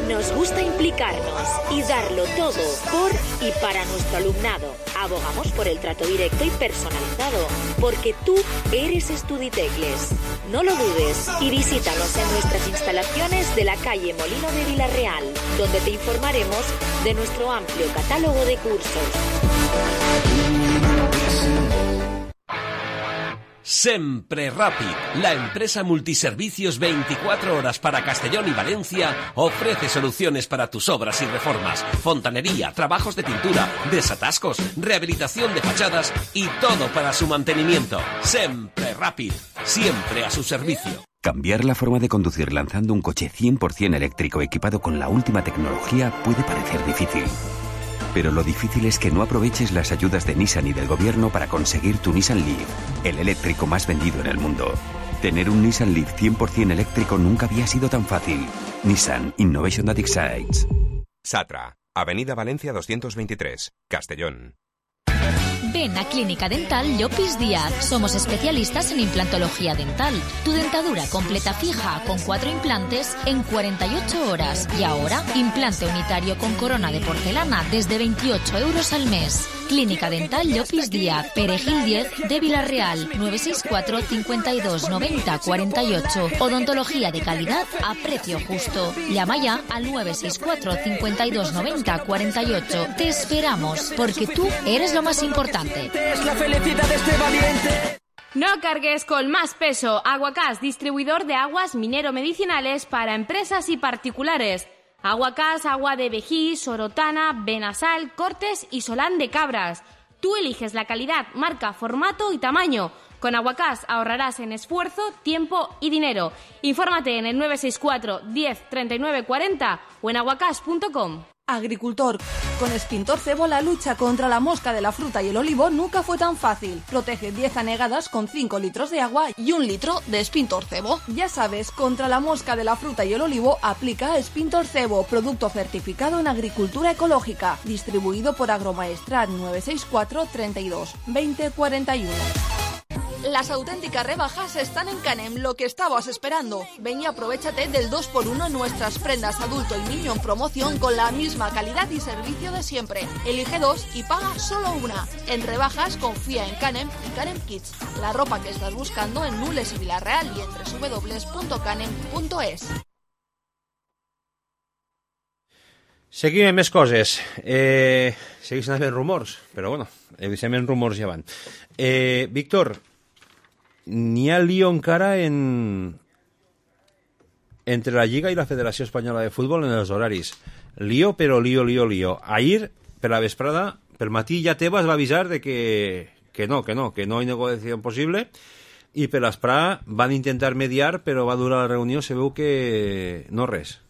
Nos gusta implicarnos y darlo todo por y para nuestro alumnado. Abogamos por el trato directo y personalizado, porque tú eres Estuditecles. No lo dudes y visítanos en nuestras instalaciones de la calle Molino de Villarreal, donde te informaremos de nuestro amplio catálogo de cursos. Sempre Rápid, la empresa multiservicios 24 horas para Castellón y Valencia, ofrece soluciones para tus obras y reformas, fontanería, trabajos de pintura, desatascos, rehabilitación de fachadas y todo para su mantenimiento. Sempre Rápid, siempre a su servicio. Cambiar la forma de conducir lanzando un coche 100% eléctrico equipado con la última tecnología puede parecer difícil. Pero lo difícil es que no aproveches las ayudas de Nissan y del gobierno para conseguir tu Nissan Leaf, el eléctrico más vendido en el mundo. Tener un Nissan Leaf 100% eléctrico nunca había sido tan fácil. Nissan Innovation that excites. Satra, Avenida Valencia 223, Castellón. Ven a Clínica Dental Llopis Díaz. Somos especialistas en implantología dental. Tu dentadura completa fija con 4 implantes en 48 horas. Y ahora, implante unitario con corona de porcelana desde 28 euros al mes. Clínica Dental Llopis Díaz, Perejil 10 de Villarreal, 964 52 90 48. Odontología de calidad a precio justo. Llama ya al 964 52 90 48. Te esperamos, porque tú eres lo más importante. Es la felicidad de este valiente. No cargues con más peso. Aguacás, distribuidor de aguas minero-medicinales para empresas y particulares. Aguacás, agua de Vejí, Sorotana, Benasal, Cortes y Solán de Cabras. Tú eliges la calidad, marca, formato y tamaño. Con Aguacás ahorrarás en esfuerzo, tiempo y dinero. Infórmate en el 964 10 39 40 o en aguacás.com. Agricultor. Con Spintor Cebo la lucha contra la mosca de la fruta y el olivo nunca fue tan fácil. Protege 10 anegadas con 5 litros de agua y 1 litro de Spintor Cebo. Ya sabes, contra la mosca de la fruta y el olivo aplica Spintor Cebo, producto certificado en agricultura ecológica, distribuido por Agromaestrat 964 32 20 41. Las auténticas rebajas están en Canem, lo que estabas esperando. Ven y aprovéchate del 2x1 en nuestras prendas adulto y niño en promoción con la misma calidad y servicio de siempre. Elige 2 y paga solo 1. En rebajas confía en Canem y Canem Kids. La ropa que estás buscando en Nules y Villarreal y en www.canem.es. Seguim amb més coses. Segueixen havent rumors, però bueno, evidentment rumors ja van. Víctor, n'hi ha lío encara entre la Lliga i la Federació Espanyola de Futbol en els horaris. Lío, però lío. Ahir, per la vesprada, pel matí ja Tebas va avisar de que no hi ha negociació possible, i per l'esprà van intentar mediar, però va durar la reunió, se veu que no res.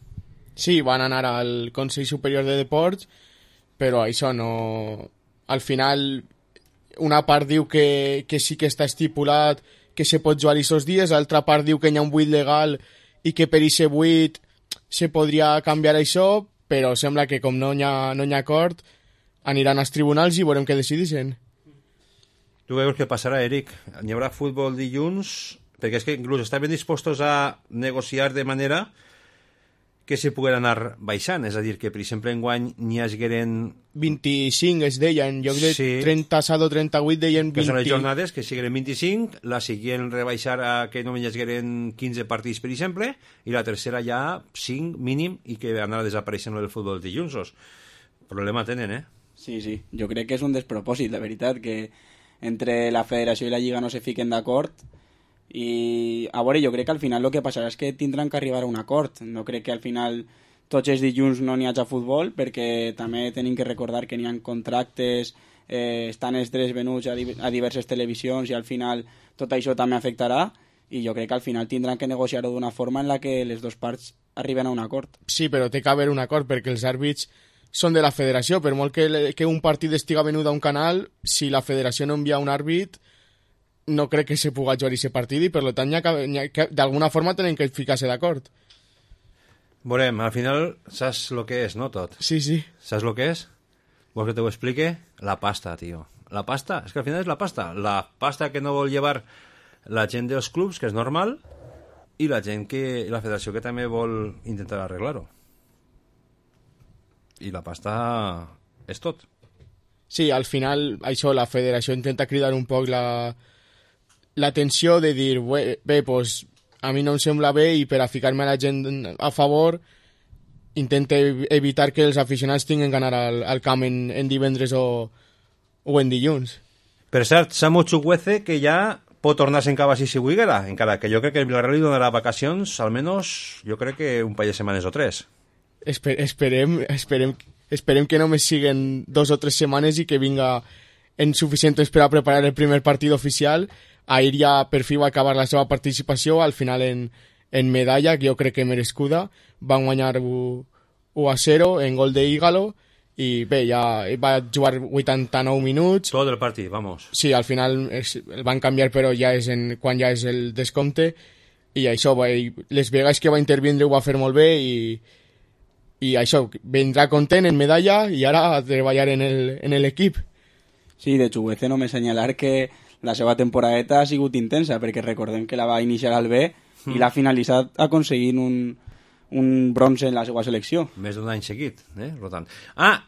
Sí, van anar al Consell Superior de Deports, però això no... Al final, una part diu que sí que està estipulat que se pot jugar aquests dies, l'altra part diu que hi ha un buit legal i que per aquest buit se podria canviar això, però sembla que com no hi ha acord, aniran als tribunals i veurem què decideixen. Tu veus què passarà, Eric? Hi haurà futbol dilluns? Perquè és que inclús estaven dispostos a negociar de manera que se puguen anar baixant, és a dir, que per exemple enguany n'hi hagueren 25 es deien, jo crec Sí. 37 o 38 deien que són les 20. jornades que sigueren 25, la següent rebaixar a que només hi hagueren 15 partits, per exemple, i la tercera ja 5 mínim i que anarà desapareixent el futbol dels dilluns. Problema tenen, eh? Sí, sí. Jo crec que és un despropòsit, la veritat, que entre la federació i la lliga no se fiquen d'acord. I a veure, jo crec que al final el que passarà és que tindran que arribar a un acord. No crec que al final tots els dilluns no n'hi hagi futbol, perquè també tenim que recordar que n'hi ha contractes, estan els drets venuts a diverses televisions i al final tot això també afectarà, i jo crec que al final tindran que negociar-ho d'una forma en la que les dues parts arriben a un acord. Sí, però té que haver un acord perquè els àrbits són de la federació. Per molt que un partit estiga venut a un canal, si la federació no envia un àrbit, no crec que se pugui jugar aquest partit i per tant d'alguna forma tenen que ficar-se d'acord. Veurem, al final saps el que és, no tot? Sí, sí. Saps el que és? Vols que te ho explique? La pasta, tio. La pasta, és que al final és la pasta. La pasta que no vol llevar la gent dels clubs, que és normal, i la gent que la federació que també vol intentar arreglar-ho. I la pasta és tot. Sí, al final això la federació intenta cridar un poc l'atenció de dir, bé, pues, a mi no em sembla bé i per a ficar-me a la gent a favor intenta evitar que els aficionats tinguin que anar al camp en divendres o en dilluns. Per cert, Samu Chukwueze, que ja pot tornar en cava si volguera, encara que jo crec que el Villarreal li donarà vacacions, almenys jo crec que un parell de setmanes o 3. Esperem que només siguen 2 o 3 setmanes i que vinga en suficient temps per a preparar el primer partit oficial. Ahir ja per fi va acabar la seva participació, al final en medalla, que jo crec que merescuda. Van guanyar 1-0 en gol d'Ígalo i bé, ja va jugar 89 minuts. Tot el partit, vamos. Sí, al final el van canviar, però ja és quan ja és el descompte, i això, les vegades que va intervindre ho va fer molt bé i això, vendrà content en medalla i ara a treballar en l'equip. Sí, de Chukwueze només assenyalar que la seva temporadeta ha sigut intensa, perquè recordem que la va iniciar al B i l'ha finalitzat aconseguint un bronze en la seva selecció. Més d'un any seguit, rotant.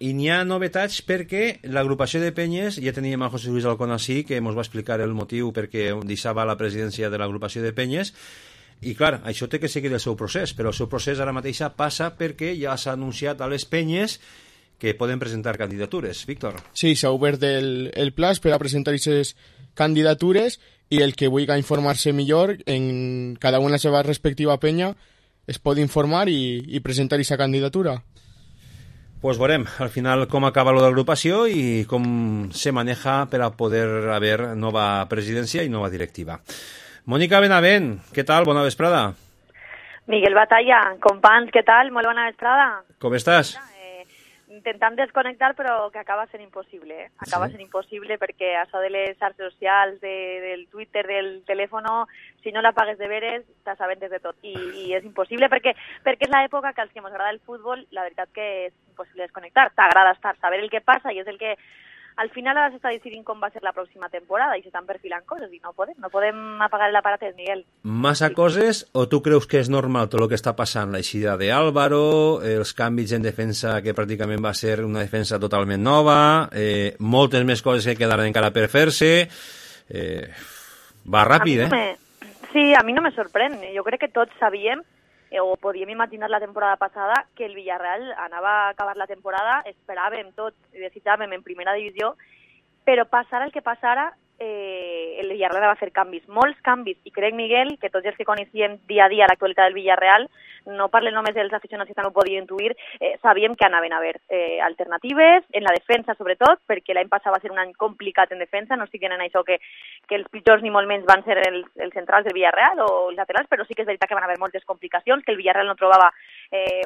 I n'hi ha novetats perquè l'agrupació de penyes, ja teníem a José Luis Alconací, que ens va explicar el motiu perquè deixava la presidència de l'agrupació de penyes, i clar, això té que seguir el seu procés, però el seu procés ara mateix passa perquè ja s'ha anunciat a les penyes que poden presentar candidatures. Víctor? Sí, s'ha obert el plaç per a presentar aquestes candidatures i el que vulgui informar-se millor en cada una de la seva respectiva penya es pot informar i presentar aquesta candidatura. Pues veurem al final com acaba lo de l'agrupació i com se maneja per a poder haver nova presidència i nova directiva. Mònica Benavent, què tal? Bona vesprada. Miguel Batalla, companys, què tal? Molt bona vesprada. Com estàs? Intentant desconnectar, però que acaba sent impossible. Acaba sent impossible perquè això de les xarxes socials, del Twitter, del telèfon, si no la pagues de veres, t'assabentes de tot. I és impossible perquè és l'època que als que ens agrada el futbol, la veritat que és impossible desconnectar. T'agrada saber el que passa i és el que al final ara s'està decidint com va ser la pròxima temporada i s'estan perfilant coses i no podem apagar l'aparatet, Miguel. Massa coses o tu creus que és normal tot el que està passant? L'eixida d'Álvaro, els canvis en defensa que pràcticament va ser una defensa totalment nova, moltes més coses que quedaran encara per fer-se. Va ràpid, Sí, a mi no me sorprèn. Jo crec que tots sabíem o podíem imaginar la temporada passada que el Villarreal anava a acabar la temporada, esperàvem tot i desitjàvem en primera divisió, però passara el que passara, el Villarreal va fer canvis, molts canvis, i crec, Miguel, que tots els que coneixíem dia a dia l'actualitat del Villarreal, no parlen només dels aficionats que també ho podien intuir, sabíem que anaven a haver alternatives, en la defensa sobretot, perquè l'any passat va ser un any complicat en defensa, no estic en això que els pitjors ni molt menys van ser els centrals del Villarreal o els laterals, però sí que és veritat que van haver moltes complicacions, que el Villarreal no trobava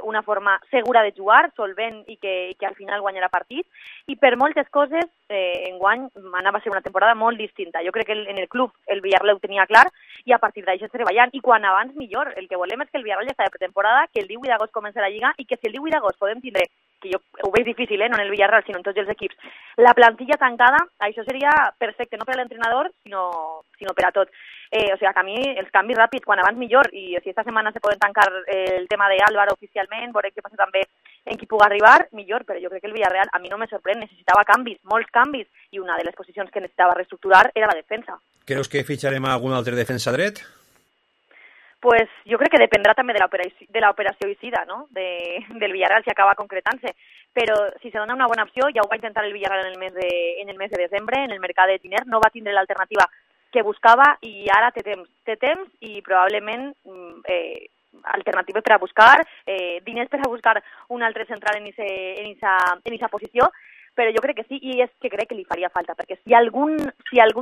una forma segura de jugar, solvent i que al final guanyarà partit, i per moltes coses enguany anava a ser una temporada molt distinta. Jo crec que en el club el Villarreal ho tenia clar i a partir d'això treballant, i quan abans millor. El que volem és que el Villarreal ja està de pretemporada, que el 18 d'agost comença la Lliga i que si el 18 d'agost podem tindre que jo ho veig difícil, no en el Villarreal, sinó en tots els equips, la plantilla tancada, això seria perfecte, no per a l'entrenador, sinó per a tot. O sigui, que a mi els canvis ràpids, quan abans millor, i si esta setmana se poden tancar el tema d'Álvaro oficialment, veurem què passa també en qui pugui arribar, millor, però jo crec que el Villarreal a mi no me sorprèn, necessitava canvis, molts canvis, i una de les posicions que necessitava reestructurar era la defensa. Creus que fitxarem algun altre defensa dret? Pues jo crec que dependrà també de l'operació Isida, no? Del Villarreal, si acaba concretant-se. Però si se dona una bona opció, ja ho va intentar el Villarreal en el mes de desembre, en el mercat de Tiner, no va tindre l'alternativa que buscava i ara té temps i probablement alternatives per a buscar, diners per a buscar un altre central en esa posició, però jo crec que sí, i és que crec que li faria falta, perquè si algun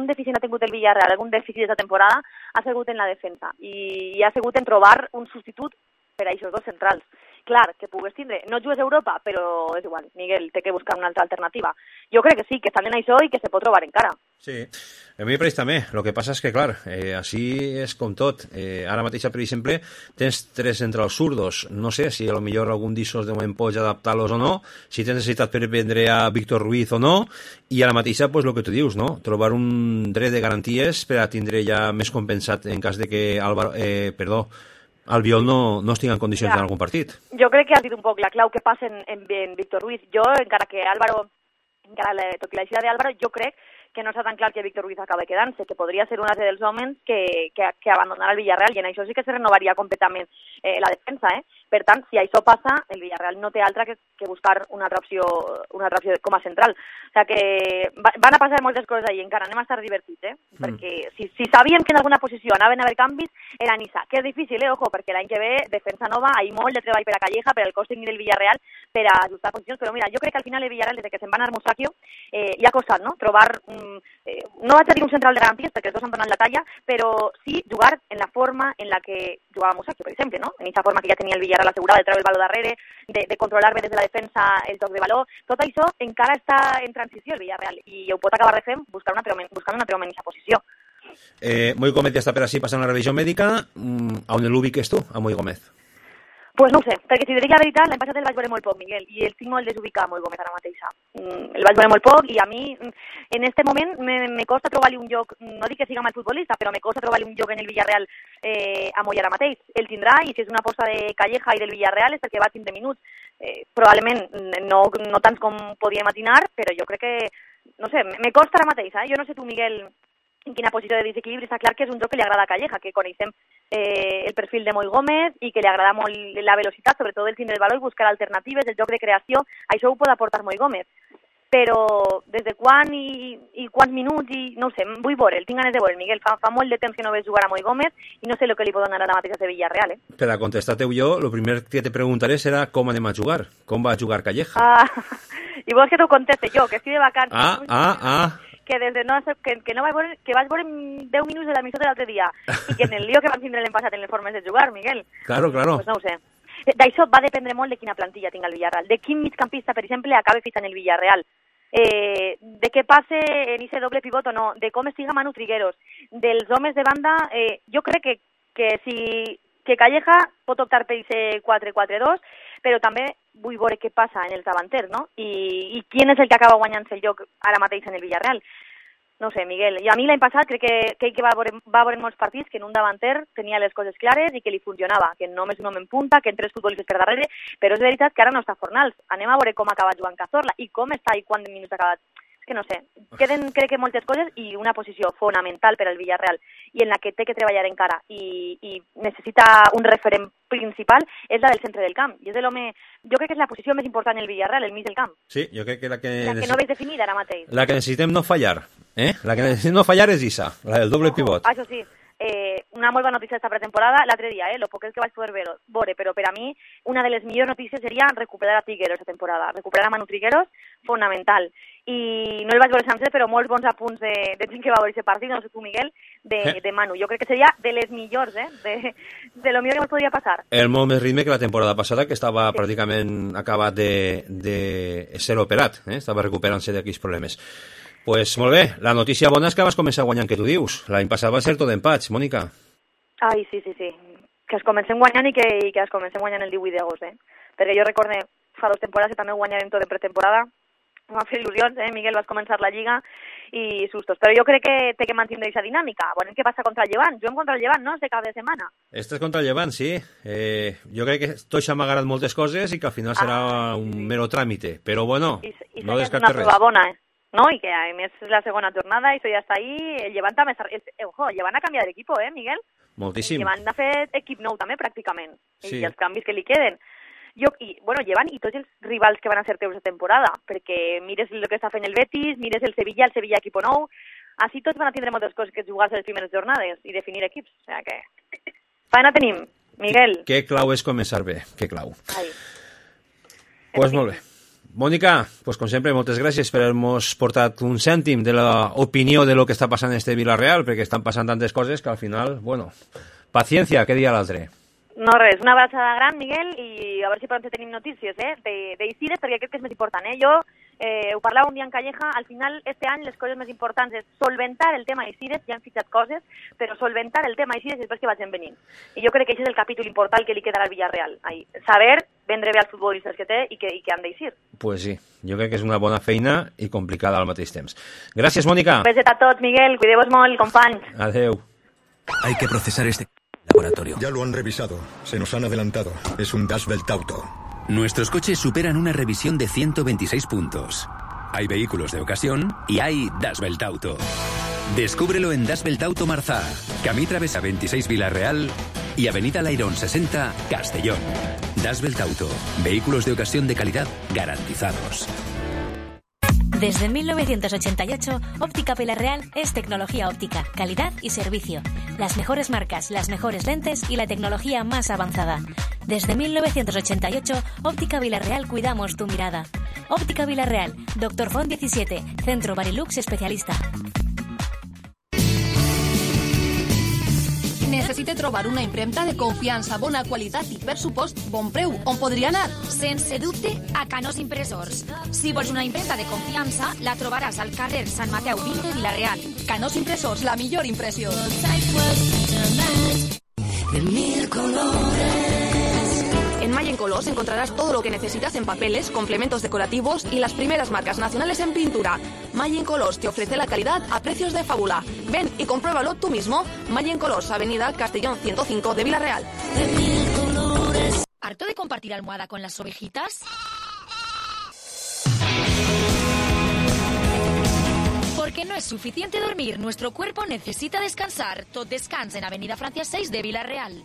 dèficit ha tingut el Villarreal, algun dèficit d'aquesta temporada, ha sigut en la defensa, i ha sigut en trobar un substitut per a aquests dos centrals. Clar, que pugues tindre, no jugues a Europa, però és igual, Miguel, té que buscar una altra alternativa. Jo crec que sí, que estan en això i que se pot trobar encara. Sí, a mi me pareix també. El que passa és que, clar, així és com tot. Ara mateix, per exemple, tens 3 centrals zurdos. No sé si a lo millor algun d'issos de moment pots adaptar-los o no, si tens necessitat per vendre a Víctor Ruiz o no, i a la mateixa, pues, el que tu dius, no? Trobar un dret de garanties per a tindre ja més compensat en cas de que Albiol no estigui en condicions en algun partit. Jo crec que has dit un poc la clau que passa en Víctor Ruiz. Jo, encara que Álvaro, tot i l'aixida d'Álvaro, jo crec que no està tan clar que Víctor Ruiz acaba quedant-se, que podria ser un altre dels homes que abandonarà el Villarreal, i en això sí que se renovaria completament la defensa. Per tant, si això passa, el Villarreal no té altra que buscar una altra opció com a central. O sigui que van a passar moltes coses ahir, encara anem a estar divertits, perquè si sabíem que en alguna posició anaven a haver canvis, era en Isa, que és difícil, ojo, perquè l'any que ve, defensa nova, hi ha molt de treball per a Calleja, per al cos tècnic del Villarreal, per a ajustar posicions, però mira, jo crec que al final el Villarreal, des que se'n va anar Musacchio, hi ha costat, no? Trobar no vaig a dir un central de garanties perquè els dos han donat la talla, però sí jugar en la forma en la que jugava Musacchio, per exemple, no? En aquesta forma que ja tenia el Villarreal assegurada de treure el baló darrere, de controlar bé des de la defensa el joc de baló. Tot això encara està en transició el Villarreal i ho pot acabar de fer buscant un altre home en aquesta posició. Moi Gómez ja està per així passant la revisió mèdica. On l'ubiques tu, a Moi Gómez? Pues no ho sé, perquè si dic la veritat, l'any passat el vaig veure molt poc, Miguel, i el tinc molt desubicat, Moi Gómez, ara mateixa. El vaig veure molt poc i a mi, en este moment, me costa trobar-li un lloc, no dic que siga mal futbolista, però me costa trobar-li un lloc en el Villarreal a Moi ara mateix. El tindrà, i si és una aposta de Calleja i del Villarreal és perquè va tindre minuts. Probablement no tants com podíem imaginar, però jo crec que, no sé, me costa ara mateixa. Jo no sé tu, Miguel, en quina posició de desequilibri. Està clar que és un joc que li agrada a Calleja, que coneixem el perfil de Moi Gómez i que li agrada molt la velocitat, sobretot el tindre el valor i buscar alternatives, el joc de creació, això ho pot aportar Moi Gómez. Però des de quan i quants minuts, i no ho sé, vull veure, tinc ganes de veure, Miguel. Fa molt de temps que no veig jugar a Moi Gómez i no sé el que li pot donar ara mateix a Villarreal. Per a contestar-te jo, el primer que te preguntaré serà com anem a jugar, com va jugar Calleja. I vols que t'ho conteste jo, que estic de vacances. Que des de que vaig veure 10 minuts de l'emissió de l'altre dia i que en el lío que van tindre l'any passat en les formes de jugar, Miguel. Claro. Pues no ho sé. D'això va dependre molt de quina plantilla tinga el Villarreal, de quin migcampista, per exemple, acabe fitxant el Villarreal, de què passe en ese doble pivot o no, de com estiga Manu Trigueros, dels homes de banda. Jo crec que Calleja pot optar per ese 4-4-2, però també vull veure què passa en els davanters, no? I quin és el que acaba guanyant-se el lloc ara mateix en el Villarreal. No sé, Miguel. I a mi l'any passat crec que va veure molts partits que en un davanter tenia les coses clares i que li funcionava, que només un home en punta, que en 3 futbolistes per darrere, però és veritat que ara no està Fornals. Anem a veure com ha acabat Joan Cazorla i com està i quants minuts ha acabat. És que no sé, queden crec que moltes coses i una posició fonamental per al Villarreal i en la que té que treballar encara i necessita un referent principal és la del centre del camp. I és l'home, jo crec que és la posició més important en el Villarreal, el mig del camp. Sí, jo crec que la que no veig definida ara mateix. La que necessitem no fallar, La que necessitem no fallar és Isa, la del doble pivot. Això sí. Una molt bona notícia d'esta pretemporada l'altre dia, lo poc que vaig poder veure, però per a mi una de les millors notícies seria recuperar a Trigueros aquesta temporada, recuperar a Manu Trigueros, fonamental. I no el vaig veure sencer, però molts bons apunts de gent que va veure aquest partit, no sé tu, Miguel, de Manu. Jo crec que seria de les millors, de lo millor que ens podria passar. El molt més ritme que la temporada passada, que estava pràcticament acabat de ser operat, estava recuperant-se d'aquells problemes. Pues molt bé, la notícia bona és que vas començar guanyant, que tu dius. L'any passat va ser tot empats, Mònica. Ai, sí. Que es comencem guanyant i que es comencem guanyant el 18 d'agost, perquè jo recorde fa 2 temporades que també guanyarem tot en pretemporada. M'ha fet il·lusions, Miguel, vas començar la Lliga i sustos. Però jo crec que té que mantenir aquesta dinàmica. Veurem què passa contra el Llevant. Juguem contra el Llevant, no?, este cap de setmana. Este és contra el Llevant, sí. Jo crec que tot s'ha amagat moltes coses i que al final serà un mero tràmite. Però bueno, no descartes res. És una prova bona, no? I que a més és la segona jornada i això ja està ahí. El Llevant també està... el Llevant ha canviat d'equip, Miguel? Moltíssim. El Llevant ha fet equip nou també, pràcticament. Sí. I els canvis que li queden. Llevant i tots els rivals que van a ser teus de temporada, perquè mires el que està fent el Betis, mires el Sevilla equip nou, així tots van a tindre moltes coses que jugar-se les primeres jornades i definir equips. O sigui que... Faena tenim, Miguel. Que clau és començar bé, que clau. Ai. Pues molt bé. Mònica, pues com sempre, moltes gràcies per haver-nos portat un cèntim de l'opinió de lo que està passant en este Villarreal, perquè estan passant tantes coses que al final, bueno, paciencia, que dia l'altre. No res, una abraçada gran, Miguel, i a veure si pronto tenim notícies d'Isides, perquè crec que és més important. Jo ho parlava un dia en Calleja, al final, este any les coses més importants és solventar el tema Isides, ja han fitxat coses, però solventar el tema Isides després que vagin venint. I jo crec que aquest és el capítol important que li quedarà al Villarreal. Saber vendre bé als futbolistes que té i que han d'eixir. Pues sí, jo crec que és una bona feina i complicada al mateix temps. Gràcies, Mònica. Un beset a tots, Miguel, cuideu-vos molt, companys. Adeu. Hay que procesar este laboratorio. Ya lo han revisado. Se nos han adelantado. Es un Das Welt Auto. Nuestros coches superan una revisión de 126 puntos. Hay vehículos de ocasión y hay Das Welt Auto. Descúbrelo en Das Welt Auto Marzá, Camí Travesa 26 Villarreal y Avenida Lairón 60 Castellón. Das Welt Auto. Vehículos de ocasión de calidad garantizados. Desde 1988, Óptica Villarreal es tecnología óptica, calidad y servicio. Las mejores marcas, las mejores lentes y la tecnología más avanzada. Desde 1988, Óptica Villarreal cuidamos tu mirada. Óptica Villarreal, Dr. Font 17, Centro Barilux especialista. Necessite trobar una impremta de confiança, bona qualitat i per supost bon preu. On podria anar? Sense dubte, a Canós Impressors. Si vols una impremta de confiança, la trobaràs al carrer Sant Mateu 20 de Villarreal. Canós Impressors, la millor impressió. En Mayen Colors encontrarás todo lo que necesitas en papeles, complementos decorativos y las primeras marcas nacionales en pintura. Mayen Colors te ofrece la calidad a precios de fábula. Ven y compruébalo tú mismo. Mayen Colors, Avenida Castellón 105 de Villarreal. ¿Harto de compartir almohada con las ovejitas? Porque no es suficiente dormir, nuestro cuerpo necesita descansar. Tot descansa en Avenida Francia 6 de Villarreal.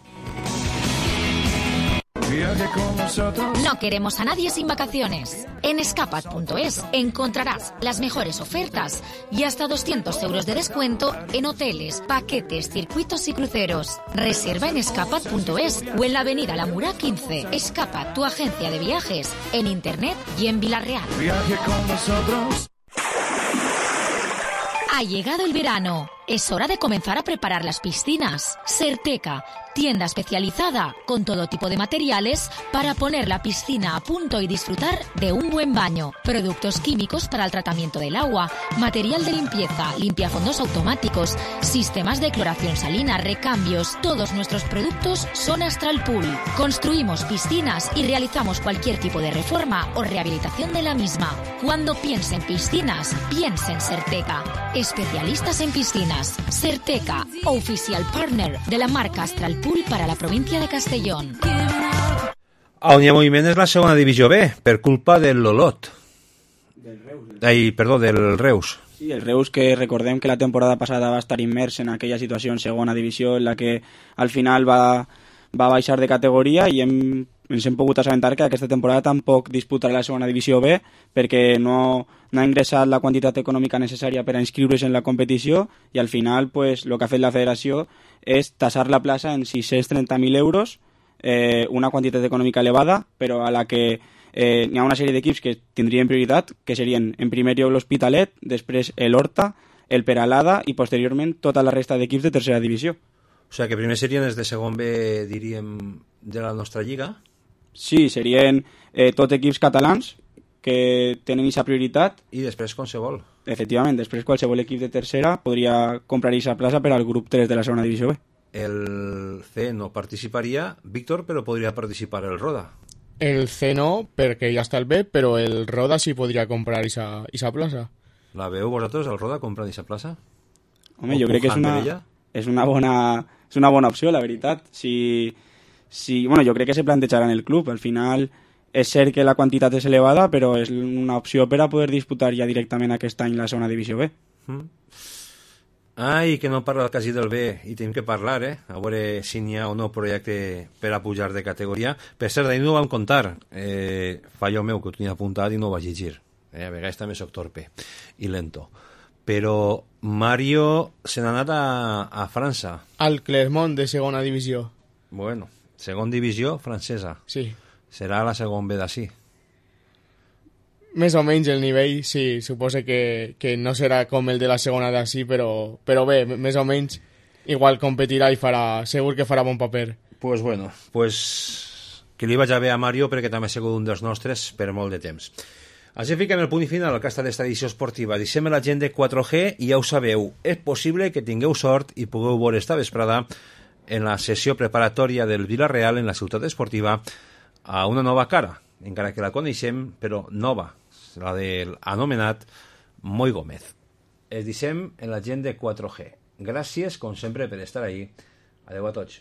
No queremos a nadie sin vacaciones. En escapat.es encontrarás las mejores ofertas y hasta 200 euros de descuento en hoteles, paquetes, circuitos y cruceros. Reserva en escapat.es o en la avenida La Mura 15. Escapat, tu agencia de viajes, en internet y en Villarreal. Viaje con nosotros. Ha llegado el verano. Es hora de comenzar a preparar las piscinas. Serteca, tienda especializada con todo tipo de materiales para poner la piscina a punto y disfrutar de un buen baño. Productos químicos para el tratamiento del agua, material de limpieza, limpiafondos automáticos, sistemas de cloración salina, recambios. Todos nuestros productos son Astral Pool. Construimos piscinas y realizamos cualquier tipo de reforma o rehabilitación de la misma. Cuando piense en piscinas, piense en Serteca. Especialistas en piscinas. Serteca, oficial partner de la marca Astral Pool para la provincia de Castellón. On hi ha moviment és la segona divisió B, per culpa del Lolot. Del Reus. Sí, el Reus, que recordem que la temporada passada va estar immers en aquella situació en segona divisió en la que al final va baixar de categoria i ens hem pogut assabentar que aquesta temporada tampoc disputarà la segona divisió B perquè no ha ingressat la quantitat econòmica necessària per a inscriure's en la competició i al final pues, el que ha fet la federació és tassar la plaça en 630.000 euros, una quantitat econòmica elevada, però a la que hi ha una sèrie d'equips que tindrien prioritat, que serien en primer lloc l'Hospitalet, després l'Horta, el Peralada i posteriorment tota la resta d'equips de tercera divisió. O sigui que primer serien els de segon B, diríem, de la nostra lliga? Sí, serien tot equips catalans que tenen aquesta prioritat. I després qualsevol. Efectivament, després qualsevol equip de tercera podria comprar aquesta plaça per al grup 3 de la segona divisió B. El C no participaria, Víctor, però podria participar el Roda. El C no, perquè ja està el B, però el Roda sí podria comprar esa plaça. La veu vosaltres, el Roda, comprar aquesta plaça? Home, jo crec que és una bona opció, la veritat. Bueno, jo crec que se plantejarà en el club. Al final és cert que la quantitat és elevada, però és una opció per a poder disputar ja directament aquest any la segona divisió B. Ai, que no parla quasi del B, i tenim que parlar, a veure si n'hi ha o no projecte per a pujar de categoria. Per cert, d'ahir no ho vam contar, fallo meu, que ho tenia apuntat i no ho vaig llegir. A vegades també soc torpe i lento. Però Mario se n'ha anat a França. Al Clermont, de segona divisió. Bueno, segona divisió francesa. Sí. Serà la segona B d'ací. Més o menys el nivell, sí, suposo que no serà com el de la segona d'ací, però bé, més o menys igual competirà i segur que farà bon paper. Pues bueno, que li vaig a bé a Mario perquè també ha sigut un dels nostres per molt de temps. Així fiquem el punt i final al que ha estat esta edició esportiva. Deixem la gent de 4G i ja ho sabeu, és possible que tingueu sort i pugueu veure esta vesprada en la sessió preparatòria del Villarreal en la ciutat esportiva a una nova cara, encara que la coneixem, però nova, la del anomenat Moi Gómez. Es deixem en la gent de 4G. Gràcies, com sempre, per estar ahí. Adeu a tots.